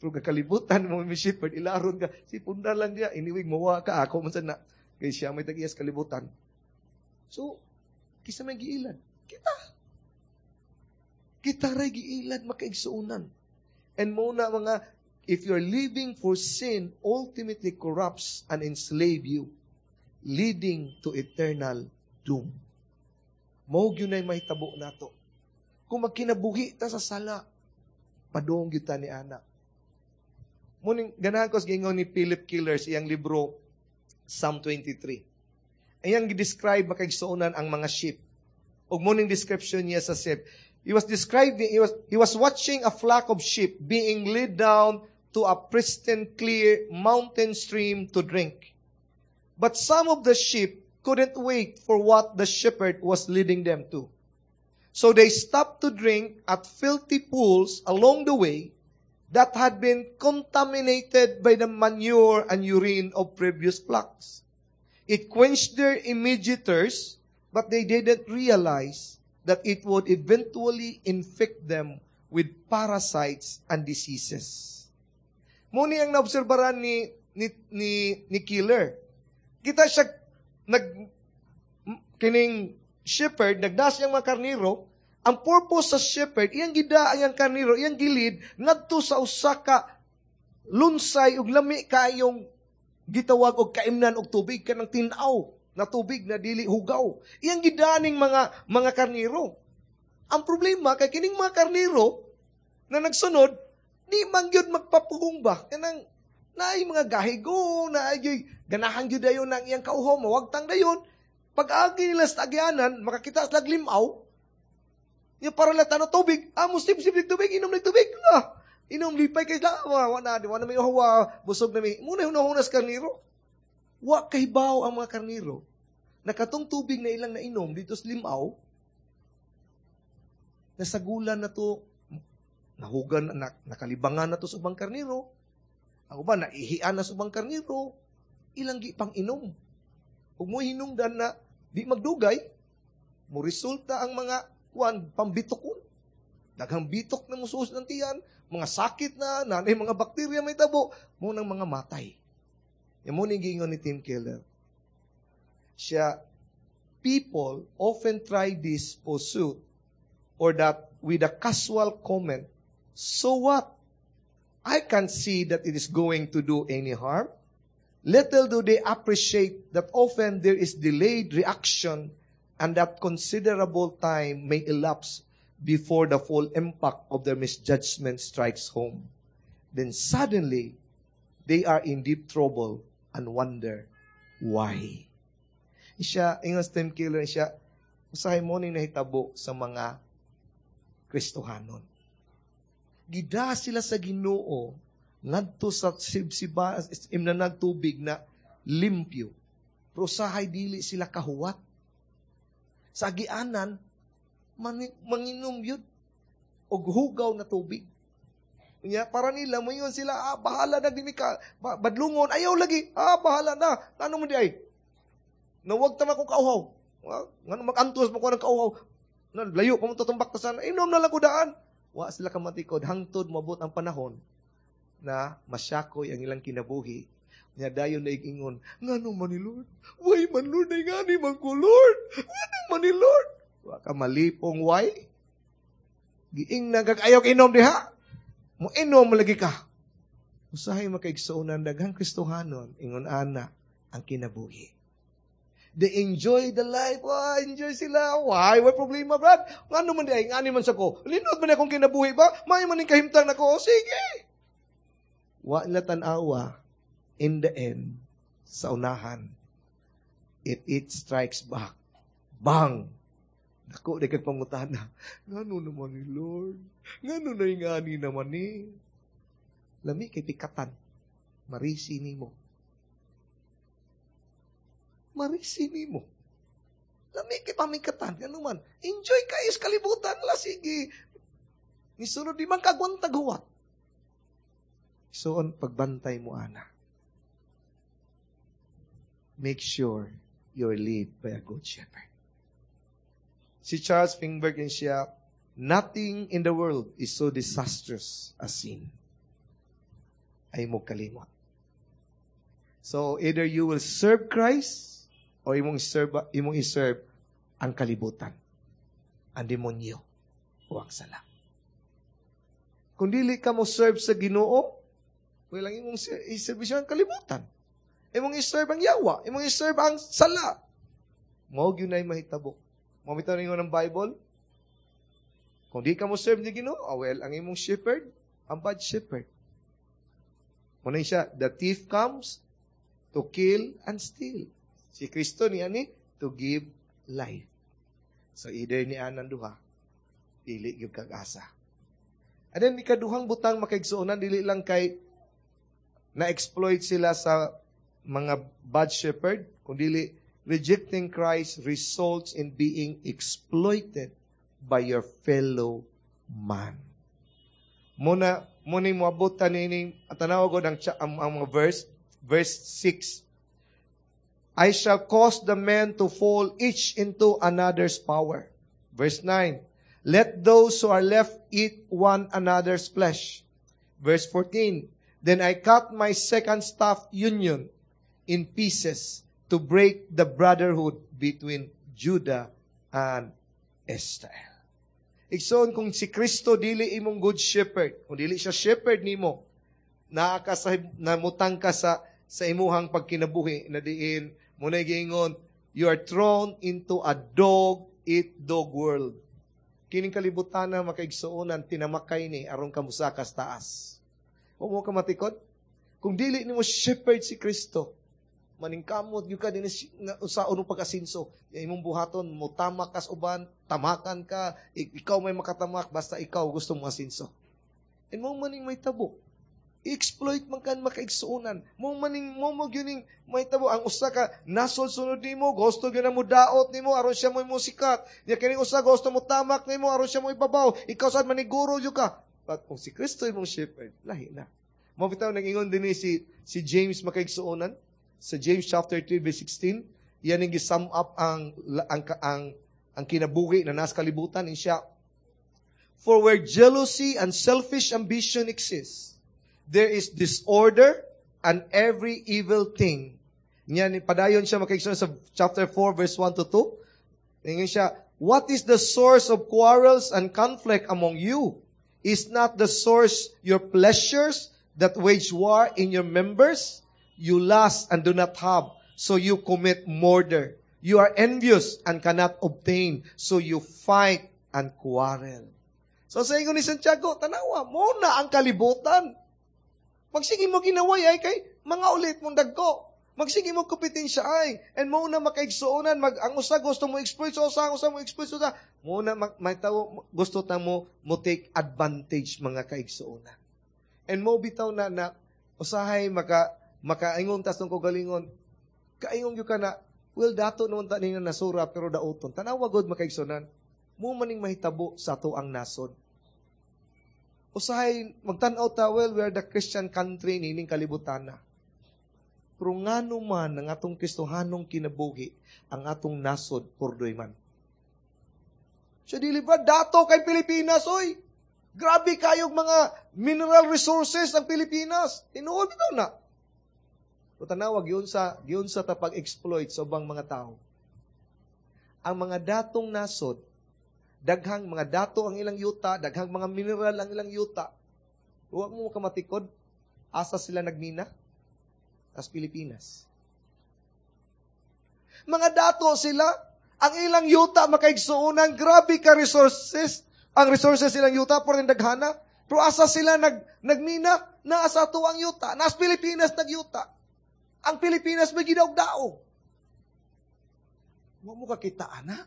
Pero kakalibutan mo may shepherd, ilaron ka, si punda lang niya, iniwig mawa ka, ako man na, kay siya may tag-iyas kalibutan. So, kisa may giilad. Kita. Kita ray giilad, makaigsuonan. And mo na mga, if you're living for sin, ultimately corrupts and enslave you, leading to eternal doom. Mao gyud nay mahitabo nato. Kung magkinabuhi ta sa sala, padung gyud ta ni ana. Muning ganahan ko sa giingon ni Philip Keller sa iyang libro Psalm 23. Iyang gi-describe makaigsuonan ang mga sheep. Ug muning description niya sa sheep. He was describing, he was watching a flock of sheep being led down to a pristine, clear mountain stream to drink. But some of the sheep couldn't wait for what the shepherd was leading them to. So they stopped to drink at filthy pools along the way that had been contaminated by the manure and urine of previous flocks. It quenched their immediate thirst, but they didn't realize that it would eventually infect them with parasites and diseases. Muni ang naobserbaran ni ni Keller. Kita siya nag kining shepherd nagdas iyang mga karniro. Ang purpose sa shepherd, iyang gida ang iyang karniro, iyang gi-lead ngadto sa usa ka lunsay ug lami kaayong gitawag og kaimnan og tubig, kanang tin-aw na tubig na dili hugaw. Iyang gidaning mga karniro. Ang problema kay kining mga karniro na nagsunod, di man gyud magpapugong ba, kanang naay mga gahigo, naay ganahan gyud dayon ang iyang kauhaw, mawagtang dayon. Pag-agi nila sa agyanan, makakita sila limaw, yung para lang tano tubig, ah, musip-sip tubig, inom ng tubig. Ah, inom, lipay kay sila, wa na, wa na may uhaw, busog na may, muna hunahunas karniro. Wa kahibaw ang mga karniro, na katong tubig na ilang nainom dito sa limaw, nasagulan na to, nahugan, na, nakalibangan na to sa ubang karniro. Ang uban, naihian na sa ubang karniro, ilang gi pang inom. Ug mo hinungdan na di magdugay, mo resulta ang mga kuan pambitokon. Daghang bitok na musuos ng tiyan, mga sakit na, nanay mga bakterya may tabo, mo nang mga matay. Yan mo ni giingon ni Tim Keller. Siya, people often try this pursuit or that with a casual comment, "So what? I can't see that it is going to do any harm." Little do they appreciate that often there is delayed reaction and that considerable time may elapse before the full impact of their misjudgment strikes home. Then suddenly, they are in deep trouble and wonder why. Siya, ingon si Tim Keller, siya, usahay mo ning nahitabo sa mga Kristohanon. Gida sila sa Ginoo ngadto sa sibsiba imnanag tubig na limpyo. Pero usahay dili sila kahuwat. Sa agianan, manginom yun og hugaw na tubig. Nya, para nila, moingon sila, "Ah, bahala na, di mi ka, badlungon, ayaw lagi, ah, bahala na, ano mo di ay? Nawag tama kong kauhaw. Ah, ngano mag-antos mo ko ng kauhaw? Na, layo pa mo tutumbak ta sana, inom na lang ko daan." Wa sila kamatikod, hangtod mabot ang panahon na masyakoy ang ilang kinabuhi. Nya dayon na ingon, "Ngano man ni Lord? Why man Lord, ay ngani man ko Lord? Ngano man ni Lord?" Wa ka malipong why? Giing na kag ayaw inom diha. Mo inom lagi ka. Usahay makaigsuonan, daghang Kristohanon ingon ana ang kinabuhi. They enjoy the life. Wah, enjoy sila. Why? Why problema, Brad? Ngano man di ay, ngani man sa ko. Linod man akong kinabuhi ba? May man ning kahimtang nako. O, sige. Wa nila tan-awa in the end, sa unahan, it strikes back. Bang! Dako, di kag pangutana. "Ngano naman ni Lord? Ngano na ngani naman ni?" Lami kay pikatan. Marisi nimo. Marisi nimo. Lami kay pamikatan. Ngano man? Enjoy kayo sa kalibutan. La, sige. Nisunod di man kagwantag huwat. So, on pagbantay mo, ana. Make sure you're led by a good shepherd. Si Charles Feinberg siya, "Nothing in the world is so disastrous as sin." Ay mo kalimot. So, either you will serve Christ or imong i-serve ang kalibutan, ang demonyo, o ang sala. Kung dili ka mo serve sa Ginoo, well, ang imong iservisyo ang kalibutan. Imong i-serve ang yawa, imong i-serve ang sala. Mao gyud nay mahitabo. Mao bitaw ningon ng Bible, kung di ka mo serve ni Ginoo, ah, well, ang imong shepherd, ang bad shepherd. Muna siya, the thief comes to kill and steal. Si Kristo niya ni to give life. So either ni anang duha, dili gyud kag asa. And then ikaduhang butang, makaigsuonan, dili lang kay na-exploit sila sa mga bad shepherd, kundi rejecting Christ results in being exploited by your fellow man. Muna, muna moabot ta nining tanaw ko ang mga verse, verse 6. "I shall cause the men to fall each into another's power." Verse 9. "Let those who are left eat one another's flesh." Verse 14. Then I cut my second staff, union, in pieces to break the brotherhood between Judah and Israel. Igsoon, kung si Kristo dili imong good shepherd, kung dili siya shepherd nimo, naa ka sa namutang ka sa imuhang pagkinabuhi na diin mo na giingon, you are thrown into a dog eat dog world. Kining kalibutan na, makaigsuonan, tinamakay ni aron ka musakas taas. Wa mo ka matikod? Kung dili nimo shepherd si Kristo, maningkamot gyud ka din sa unong pag-asinso. Imong buhaton, mo tamak kas uban, tamakan ka, ikaw may makatamak, basta ikaw gusto mo asinso. And mo maning may tabo. I-exploit man kan, makaigsuonan. Mo maning mo mo gyuning may tabo ang usa ka nasod sunod nimo, gusto gyud na mo daot nimo aron siya mo musikat. Nya kining usa gusto mo tamak nimo aron siya mo ibabaw. Ikaw sad maniguro gyud ka. But kung si Kristo imong shepherd, lahi na. Mo bitaw nag-ingon dinhi si James, makaigsuonan, sa James chapter 3 verse 16, yan ang sum up ang kinabuhi na nasa kalibutan in siya. "For where jealousy and selfish ambition exist, there is disorder and every evil thing." Yan, padayon siya, makaigsuonan, sa chapter 4 verse 1 to 2. Ingon siya, "What is the source of quarrels and conflict among you? Is not the source your pleasures that wage war in your members? You lust and do not have, so you commit murder. You are envious and cannot obtain, so you fight and quarrel." So sa ingon ni Santiago, tanawa, mo na ang kalibutan. Magsige mo ginaway ay kay mga ulit mong dagko. Magsige mo kompetensya ay. And mo na makaigsuonan, ang usa gusto mo exploit sa usa, ang usa mo exploit sa usa. Mo na may tawo gusto ta mo take advantage, mga kaigsuonan. And mo bitaw na na usahay makaingon tas nung kagalingon, kaingon gyud ka na, well, dato naman ta ni nasura pero dauton. Tanawa god, makaigsuonan. Mo maning mahitabo sa ato ang nasod. Usahay magtan-aw ta, well, we are the Christian country nining kalibutan na. Pero ngano man ang atong Kristohanong kinabuhi, ang atong nasod purdoy man. Siya dili ba dato kay Pilipinas, oy? Grabe kayog mga mineral resources ang Pilipinas. Tinuod bitaw na. O tanawa giun sa ta pag-exploit sa ubang mga tao. Ang mga datong nasod, daghang mga dato ang ilang yuta, daghang mga mineral ang ilang yuta. Huwag mo kamatikod, asa sila nagmina? As Pilipinas. Mga dato sila, ang ilang yuta, makaigsuonan, grabe ka resources. Ang resources silang yuta, por daghana. Pero asa sila nagmina? Naa sa ato ang yuta. Nas Pilipinas nagyuta. Ang Pilipinas may gidaog-daog. Wa mo kakita, ana.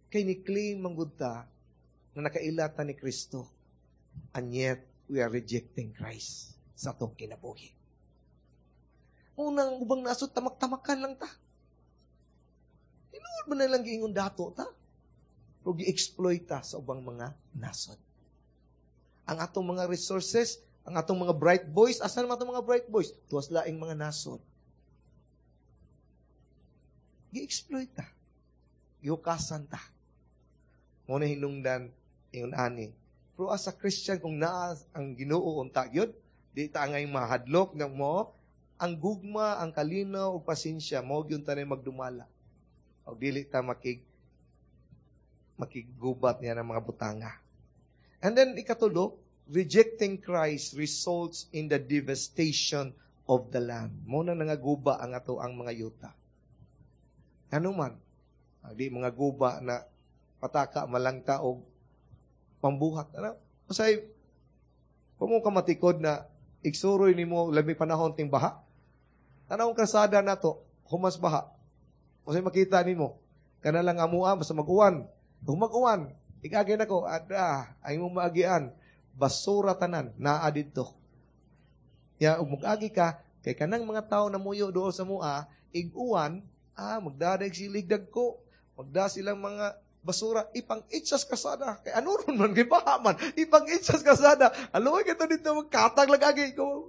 Kay ni-claim manggod ta na nakaila ta ni Kristo. And yet, we are rejecting Christ sa atong kinabuhi. Unang ubang nasod, tamak-tamakan lang ta. Tinuod mo na lang giingon dato ta. Pero gi-exploit ta sa ubang mga nasod. Ang atong mga resources, ang atong mga bright boys, asa naman atong mga bright boys? Tuwas laing mga nasod. Gi-exploit ta. Gihukasan ta. Mo na hinungdan ingon ani. Pero as a Christian, kung naa ang Ginoo unta gyud, di ta angay mahadlok ng mo, ang gugma, ang kalinaw ug pasensya mo gyud tanay magdumala. Og dili ta makiggubat niya ng mga butanga. And then ikatulo, rejecting Christ results in the devastation of the land. Mo na nangaguba ang ato ang mga yuta. Ano man, di mga guba na pataka malangta og pambuhat. Ano? Masay, kung mo kamatikod na igsuroy nimo labi panahon ting baha. Tanawong kasada nato, humas baha. Masay makita nimo, kana lang amua basta mag-uwan. Kung mag-uwan, igagay nako, ada, ay mong maagian, basura tanan, naa didto. Ya, ug mag-agi ka, kay kanang mga tao na muyo dool sa mua, ig-uwan, magdadag silig dagko, magda silang mga basura, ipang itsas kasada. Kay ano ron man, kay baha man, ipang itsas kasada. Alo, kito dito, magkatag lang agi ko.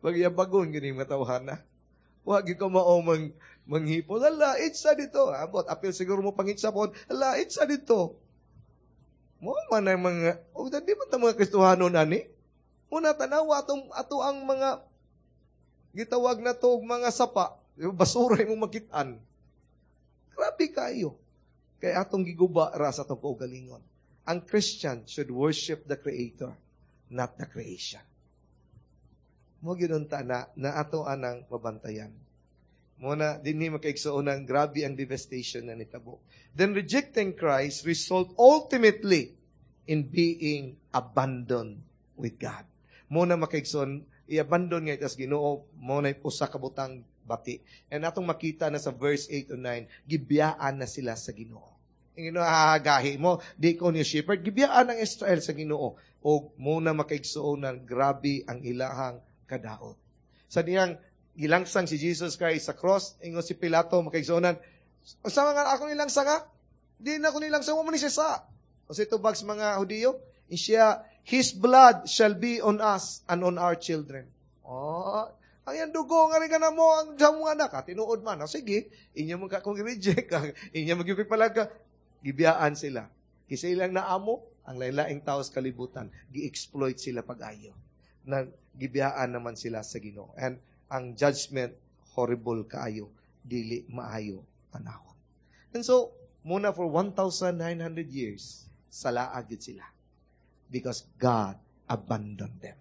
Magyabagon, gini mga tawhana. Wa gyud ko mao manghipon. Ala, itsa dito. Abot, apil siguro mo pangitsa po. Ala, itsa dito. Mo man ang mga, o di ba ta mga Kristohano nani? Una, tanawa atong ato ang mga gitawag na to og mga sapa, basura imong makitaan. Grabe kayo. Kay atong giguba ra sa atong kaugalingon. Ang Christian should worship the Creator, not the creation. Mao gyud unta na ato anang mabantayan. Muna, dinhi, makaigsuonan, grabe ang devastation na nitabo. Then rejecting Christ result ultimately in being abandoned with God. Muna, makaigsoon, i-abandon nga itas Ginoo, mo na usa ka butang bati. And atong makita na sa verse 8 to 9, gibiyaan na sila sa Ginoo. Ang Ginoo, gahi mo, di ko ni shepherd, gibiyaan ang Israel sa Ginoo. O muna, makaigsuonan, grabe ang ilahang kadaot. Sa diyang gilangsang si Jesus Christ sa cross, ingon si Pilato, makaigsuonan, "Sa mga ako nilangsang ha? Di na ako nilangsang, mo ni siya sa." O sa tubag sa mga Hudiyo, siya, "His blood shall be on us and on our children." Oh, ang iyang dugo nga rin ka na mo, ang sa mga anak, ha, tinuod man. O, sige, inyo mo ka kung reject, inyo magyupipalaga, gibiyaan sila. Kisa ilang naamo, ang lain-laing tao sa kalibutan, gi-exploit sila pag-ayo. Na gibiyaan naman sila sa Ginoo. And ang judgment, horrible kaayo, dili maayo panahon. And so, muna for 1,900 years, salaag gid sila. Because God abandoned them.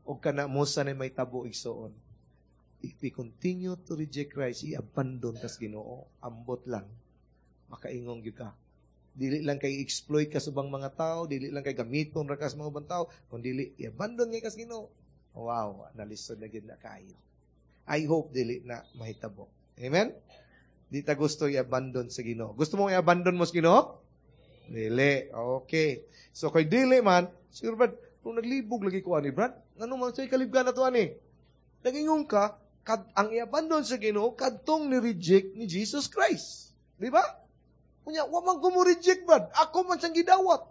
O kana mo sa na may tabo, igsoon. If we continue to reject Christ, i-abandon tas Ginoo. Ambot lang. Makaingong gyud ka. Dili lang kay exploit ka sa ubang mga tao, dili lang kay gamiton ra ka sa mga ubang tao, kung dili i-abandon ngay kas Ginoo. Wow, nalisod na gyud na kayo. I hope dili na mahitabo. Amen? Di ta gusto i-abandon sa Ginoo. Gusto mo i-abandon mo sa Ginoo? Dili. Okay. So kay dili man, siguro Brad, kung naglibog lagi ko ani Brad, ngano man say kalibgan na to ani? Nagingon ka, ang i-abandon sa Ginoo kadtong ni-reject ni Jesus Christ. Di ba? Kunya, wa man ko mo reject, Brad. Ako man siyang gidawat.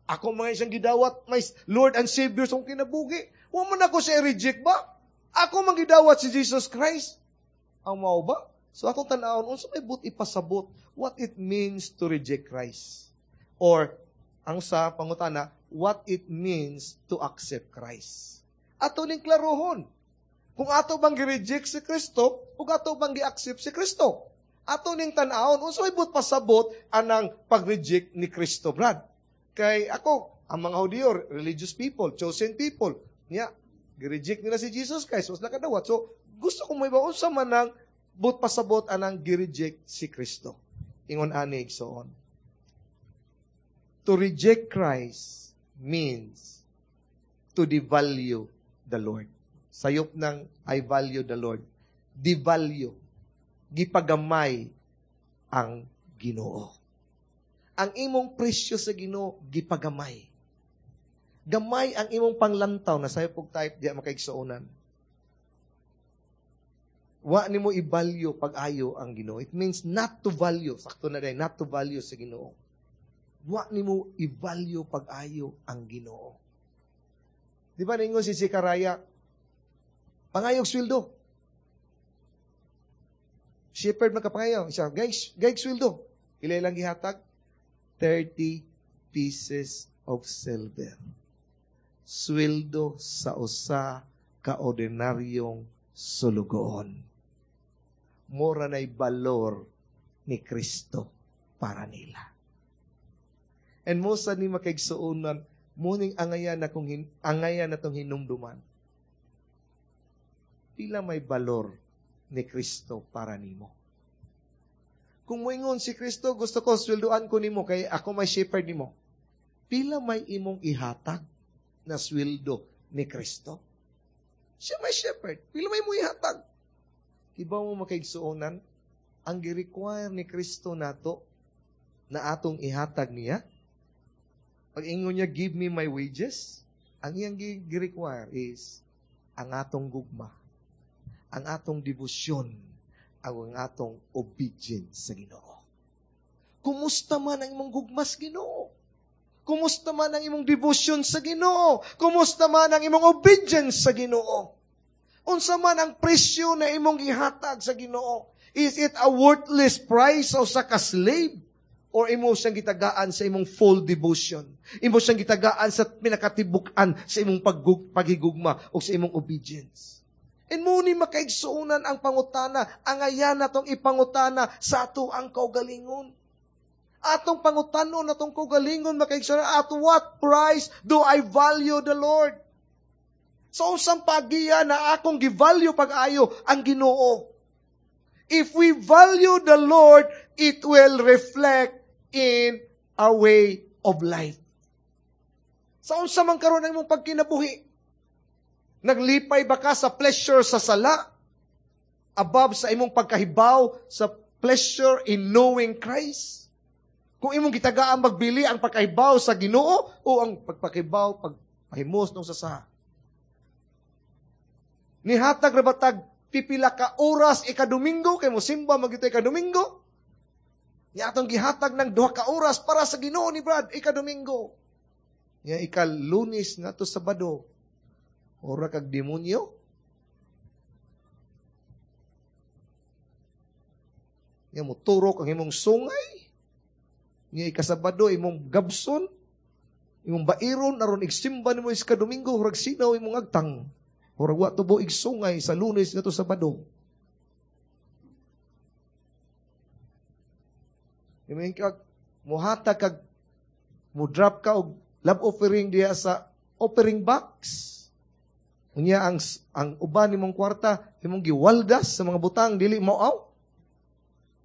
Ako man siyang gidawat, my Lord and Savior sa kinabuhi. Wa man ako siya reject ba? Ako man gidawat si Jesus Christ. Ang mao ba? So atong tan-awon unsa may but ipasabot what it means to reject Christ. Or ang sa pangutana, what it means to accept Christ. Ato ning klarohon. Kung ato bang gi-reject si Kristo o ato bang gi-accept si Kristo. Ato ning tan-awon unsa may but pasabot anang pag-reject ni Kristo, Brad. Kay ako, ang mga Hudiyo, religious people, chosen people, niya, gi-reject nila si Jesus Christ, was nakadawat. So, gusto ko may ba unsa man ang but pasabot anang gi-reject si Kristo. Ingon ani, so on. To reject Christ means to devalue the Lord. Sayop ng "I value the Lord." Devalue. Gipagamay ang Ginoo. Ang imong presyo sa Ginoo gipagamay. Gamay ang imong panglantaw na sayop og type diya, makaigsuonan. Wa nimo i-value pag-ayo ang Ginoo. It means not to value. Sakto na din, not to value sa Ginoo. Wa nimo i-value pag-ayo ang Ginoo. Di ba ningon si Zechariah, pangayog sweldo. Shepherd magkapangayo. Siya, "Guys, guys, sweldo." Pila lang gihatag? 30 pieces of silver. Sweldo sa usa ka ordinaryong sulugoon. Mura na'y balor ni Kristo para nila. And mo sa ni makaigsuonan, muning angayan na kung angayan na tong hinumduman. Pila may balor ni Kristo para nimo? Kung moingon si Kristo, "Gusto ko sweldoan ko nimo kay ako may shepherd nimo." Pila may imong ihatag na sweldo ni Kristo? Siya may shepherd. Pila may mo ihatag? Iba mo, makaigsuonan, ang gi-require ni Kristo nato na atong ihatag niya, pag ingon niya, "Give me my wages," ang iyang gi-require is ang atong gugma, ang atong debosyon, ang atong obedience sa Ginoo. Kumusta man ang imong gugma sa Ginoo? Kumusta man ang imong devotion sa Ginoo? Kumusta man ang imong obedience sa Ginoo? Unsa man ang presyo na imong ihatag sa Ginoo? Is it a worthless price o sa ka-slave? Or imo siyang gitagaan sa imong full devotion? Imo siyang gitagaan sa pinakatibuk-an sa imong paghigugma o sa imong obedience? And mao ni, makaigsuonan, ang pangutana, angayan natong ipangutana sa ato ang kaugalingon. Atong pangutanon atong kaugalingon, makaigsuonan, at what price do I value the Lord? Sa unsang pagiya na akong gi-value pag-ayo ang Ginoo? If we value the Lord, it will reflect in our way of life. Sa unsa man karon ang imong pagkinabuhi? Naglipay ba ka sa pleasure sa sala? Above sa imong pagkahibaw sa pleasure in knowing Christ? Kung imong gitagaan magbili ang pagkahibaw sa Ginoo o ang pagpakibaw, pagpahimos nung sa sala? Nihatag ra ba tag pipila ka oras ika-Domingo kay mosimba man gyud ika-Domingo? Ni atong gihatag ng 2 ka oras para sa Ginoo ni Brad ika-Domingo. Nya ika-Lunes ngadto Sabado. Ora kag demonyo. Nya moturok ang imong sungay. Nya ika-Sabado imong gabson. Imong bairon aron igsimba nimo ika Domingo, murag sinaw imong agtang. Murag wa tubo igsungay sa Lunes ngadto Sabado. Imin kag muhatag kag mo drop ka og love offering diya sa offering box. Unya ang uban nimong kwarta imong giwaldas sa mga butang dili mao.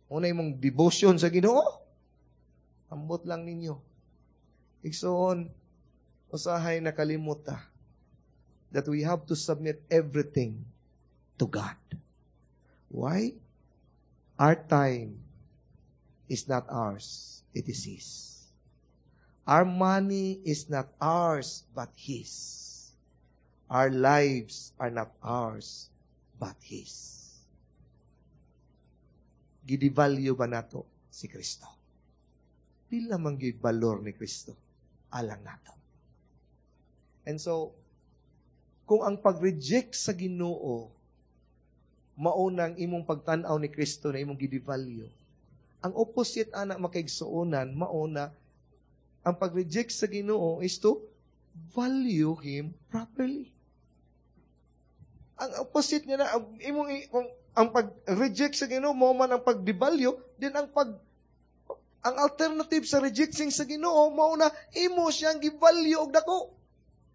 Una imong devotion sa Ginoo. Ambot lang ninyo. Igsoon, usahay nakalimot ta that we have to submit everything to God. Why? Our time is not ours, it is His. Our money is not ours, but His. Our lives are not ours, but His. Gidevalue ba nato si Kristo? Pila man gyud balor ni Kristo alang nato? And so, kung ang pag-reject sa Ginoo maunang imong pagtan-aw ni Kristo na imong gidevalue, ang opposite ana, makaigsuonan, mauna ang pag-reject sa Ginoo is to value Him properly. Ang opposite niya na, ang imong, kung ang pag-reject sa Ginoo mao man ang pag-devalue, then ang alternative sa rejecting sa Ginoo mao na imo siyang gi-value og dako.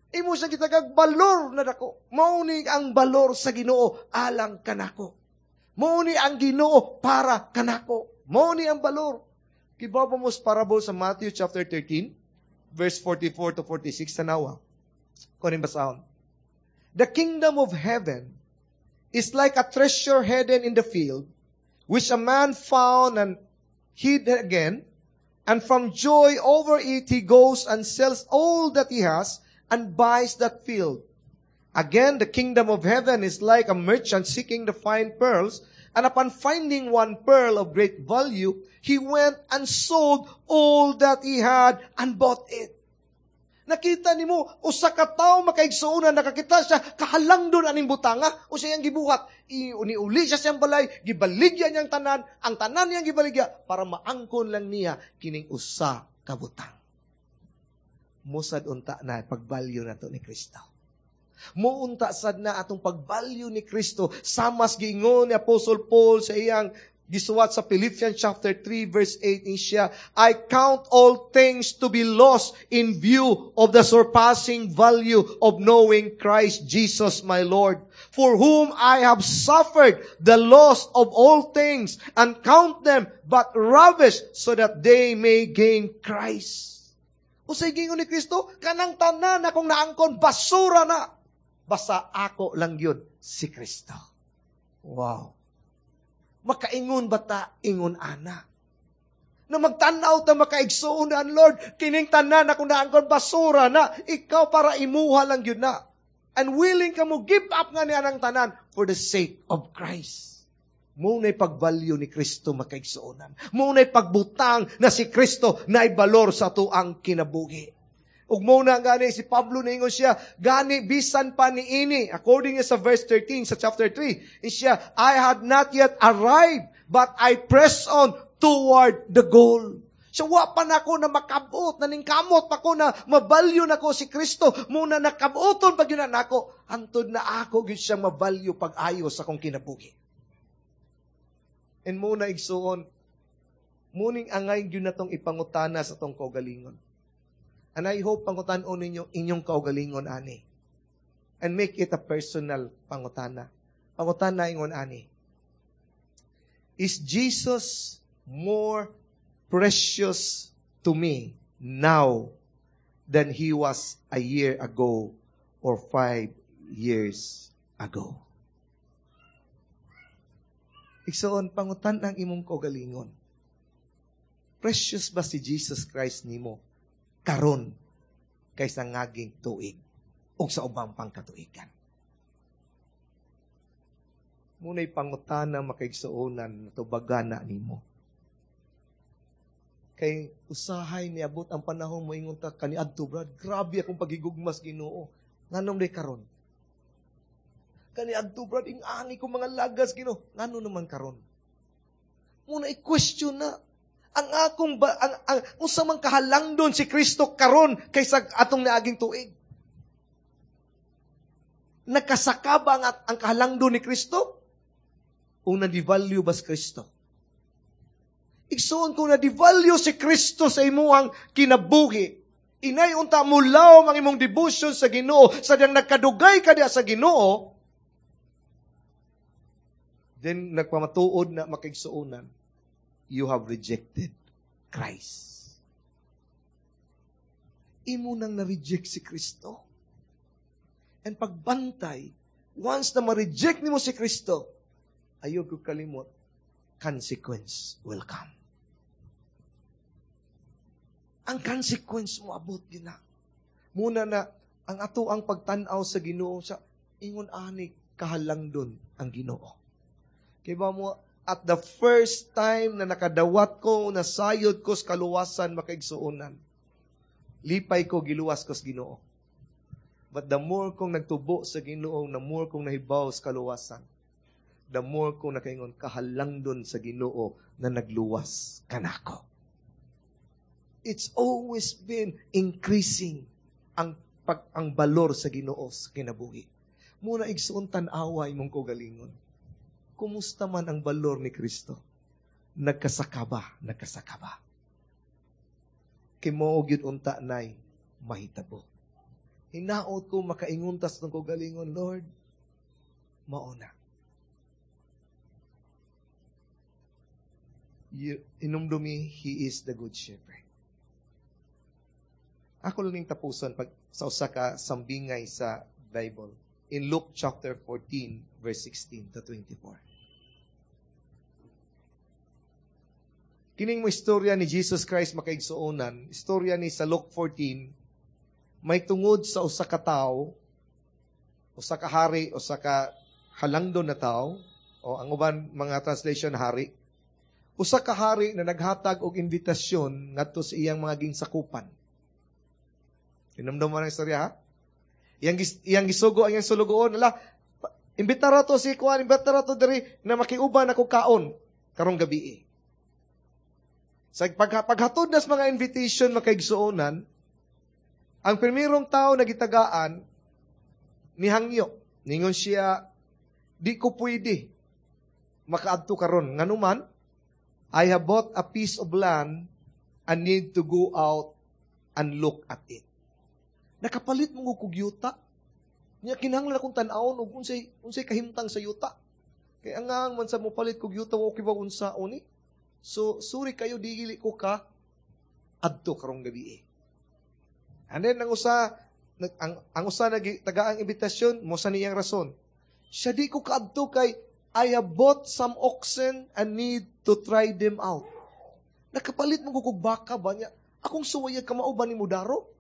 Imo siyang gitagag balor na dako. Mao ni ang balor sa Ginoo alang kanako. Mao ni ang Ginoo para kanako. Mao ni ang balor. Kibaw ba mo sa parable sa Matthew chapter 13, verse 44 to 46, tanawa? Kunin basahon. "The kingdom of heaven is like a treasure hidden in the field, which a man found and hid again, and from joy over it he goes and sells all that he has and buys that field. Again, the kingdom of heaven is like a merchant seeking the fine pearls, and upon finding one pearl of great value, he went and sold all that he had and bought it." Nakita nimo usa ka tawo, makaigsuonan, nakakita siya kahalangdon aning butanga o siyang gibuhat. Uni-uli siya siyang balay, gibaligya niyang tanan, ang tanan niyang gibaligya para maangkon lang niya kining usa ka butang. Musad unta na pagbalyo nato ni Kristo. Muunta sad na atong pagbalyo ni Kristo samas giingon ni Apostle Paul sa iyang gisuwat sa Philippians chapter 3 verse 8 siya, "I count all things to be lost in view of the surpassing value of knowing Christ Jesus my Lord, for whom I have suffered the loss of all things and count them but rubbish so that they may gain Christ." Unsay giingon ni Kristo? Kanang tanan akong naangkon, basura na. Basta ako lang yun, si Kristo. Wow. Makaingon ba ta ingon ana? Na magtanaw ta, makaigsuon na, Lord, kining tanan akong naangkon, basura na. Ikaw, para imuha lang yun na. And willing ka mo give up nga niya ng tanan for the sake of Christ. Mao na'y pagbalyo ni Kristo, makaigsuonan. Mao na'y pagbutang na si Kristo na balor sa atuang kinabuhi. Ug mao na gani si Pablo niingon siya, gani bisan pa niini, according sa verse 13 sa chapter 3, siya, "I had not yet arrived, but I press on toward the goal." So wa pa nako na makabot, naningkamot pa ko na mabalyo nako si Kristo. Muna nakaboton pag yun na nako, hantod na ako gyud siya mabalyo pag-ayo sa akong kinabuhi. And muna, igsuon, muning angay gyud natong ipangutana sa tong kaugalingon. And I hope pangutan-on ninyo inyong kaugalingon ani. And make it a personal pangutana. Pangutana ingon ani. Is Jesus more precious to me now than He was a year ago or 5 years ago? Igsoon, pangutan ang imong kaugalingon. Precious ba si Jesus Christ nimo karon kaysa ngaging tuig o sa ubang pangkatuigan? Muna'y pangutana, makaigsuonan, tubagan na nimo. Kay usahay niabot ang panahon mo ingon ta, "Kaniadto, brad, grabe akong pagigugmas Ginoo. Nganong di karon? Kaniadto, brad, ing-ani ko mga lagas Ginoo. Ngano naman karon?" Muna i-question na ang akong ba, ang unsa man kahalangdon si Kristo karon kaysa atong niaging tuig? Nakasaka ba ang kahalangdon ni Kristo? O na-devalue ba si Kristo? Igsoon, kung na-devalue si Kristo sa imuhang kinabuhi, inay unta mulaw ang imong devotion sa Ginoo, sa diyang nagkadugay ka diya sa Ginoo, then nagpamatuod na, makaigsuonan, you have rejected Christ. Imo nang na-reject si Kristo. And pagbantay, once na ma-reject nimo si Kristo, ayaw ko kalimot, consequence will come. Ang consequence mo abot gina. Muna na, ang ato ang pagtanaw sa Ginoo sa ingon ani kahalangdon ang Ginoo. Kay ba mo, at the first time na nakadawat ko, nasayod ko sa kaluwasan, makaigsuonan, lipay ko, giluwas ko sa Ginoo. But the more kong nagtubo sa Ginoo, the more kong nahibaw sa kaluwasan, the more kong nakaingon, kahalangdon sa Ginoo na nagluwas kanako. It's always been increasing ang balor sa Ginoo sa kinabuhi. Muna, igsuon, tan-awa imong kaugalingon. Kumusta man ang balor ni Kristo? Nagkasaka ba? Nagkasaka ba? Kay mao gyud unta nay mahitabo. Hinaot ko makaingon ta sa kaugalingon, "Lord, mao na." Inumdumi, He is the good shepherd. Ako lang ning tapuson pag sa usa ka sambingay sa Bible. In Luke chapter 14, verse 16 to 24. Kining mo istorya ni Jesus Christ, makaigsuonan, istorya ni sa Luke 14, may tungod sa usa ka tawo, usa ka hari, usa ka halangdon na tawo, o ang uban mga translation, hari. Usa ka hari na naghatag og imbitasyon ngadto sa iyang mga ginsakupan. Hinumdum mo ang istorya, ha? Iyang gisugo ang iyang sulugoon, "Ala, imbitara to si kuan, imbitara to diri na makiuban ako kaon karong gabi." Sa paghatod nas mga invitation, makaigsuonan, ang primerong tao na gitagaan, nihangyo. Ningon siya, "Di ko pwede makaadto karon. Nganuman, I have bought a piece of land and need to go out and look at it. Nakapalit mo kog yuta. Nya kinahanglan akong tan-awon og unsay kahimtang sa yuta. Kay ang man sa mo palit kog yuta, okay ba unsaon ni? So sorry kayo, dili ko ka adto karong gabi." And then ang usa nag tagaang imbitasyon mo sa niyang rason. Siya, "Di ko kaadto kay I have bought some oxen and need to try them out. Nakapalit mo kog baka ba niya? Akong suwayag kamao ba ni Mudaro?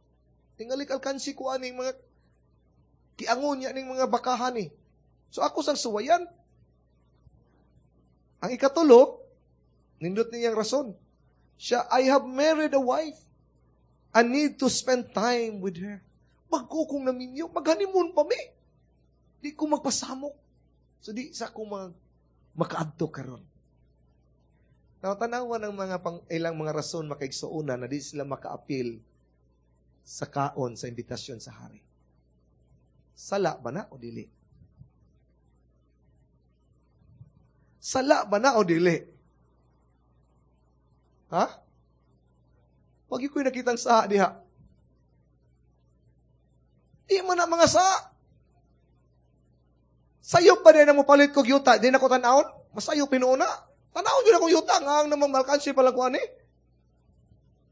Tingali alkansi ko aning mga kiangon niya ning mga bakahan ni. So ako sang suwayan." Ang ikatulo, nindot niyang rason. Siya, "I have married a wife and need to spend time with her. Bago kong naminyo, mag-honeymoon pa mi. Di ko magpasamok. So di sa ako makaadto karon." Now, tanawa ng mga pang, ilang mga rason, mga kaigsuonan, na di sila makaapil sa kaon sa imbitasyon sa hari. Sala ba na o dili? Sala ba na o dili? Ha? Wag ko'y nakitang saa diha. Di man na mga saa. Sayop ba din na mo palit ko yuta? Di na ko tanawon? Masayop pinuuna. Tanawon yun akong yuta. Nga ang namang malkansi pala ko ani.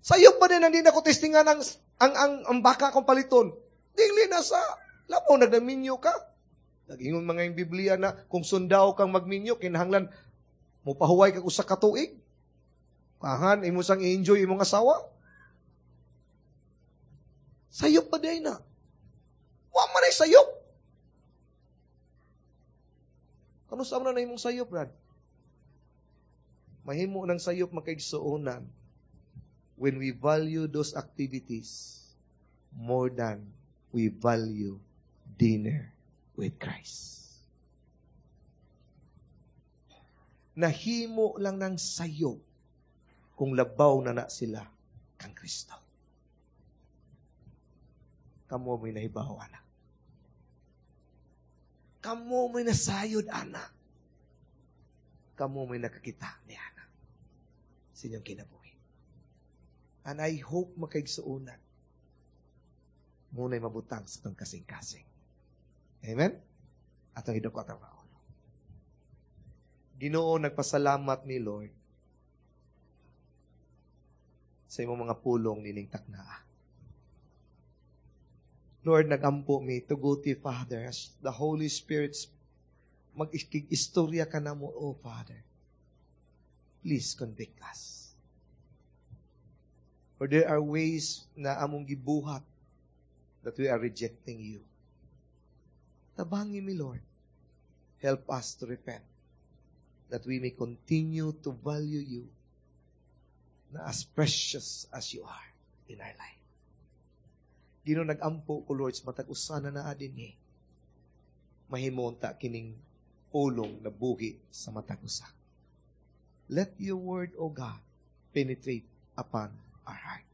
Sayop ba din ang di na ko testingan ang baka kong paliton? Dili na sa labaw nagdaminyo ka. Nag-ingon mga yung Biblia na kung sundaw kang magminyo, kinahanglan mo pahuway ka usa ka tuig. Kahan, imo sang i-enjoy imong asawa. Sayop pa din na. Wa man ay sayop. Kano sa na imong sayop, Brad? Mahimo ng sayop, mga kaigsuonan, when we value those activities more than we value dinner with Christ. Nahimo lang ng sayop kung labaw na na sila kang Kristo. Kamo may nahibaw, ana. Kamo may nasayod, ana. Kamo may nakakita ni ana sa inyong kinabuhi. And I hope, mga kaigsuonan, muna'y mabutang sa itong kasing-kasing. Amen? Atong idako atong kaulo. Ginoo, nagpasalamat mi, Lord, sa imong mga pulong nining taknaa. Lord, nagampo mi, tuguti, Father, as the Holy Spirit mag-istorya ka na mo, oh Father. Please convict us. For there are ways na among gibuhat that we are rejecting you. Tabangi mi, Lord. Help us to repent that we may continue to value you na as precious as you are in our life. Ginoo, nagampo ko, Lord, sa matag usa na naa dinhi. Mahimo unta kining pulong na buhi sa matag usa. Let your word, O God, penetrate upon our heart.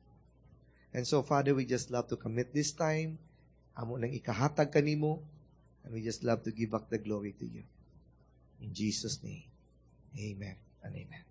And so, Father, we just love to commit this time. Amo nang ikahatag kanimo. And we just love to give back the glory to you. In Jesus' name, amen and amen.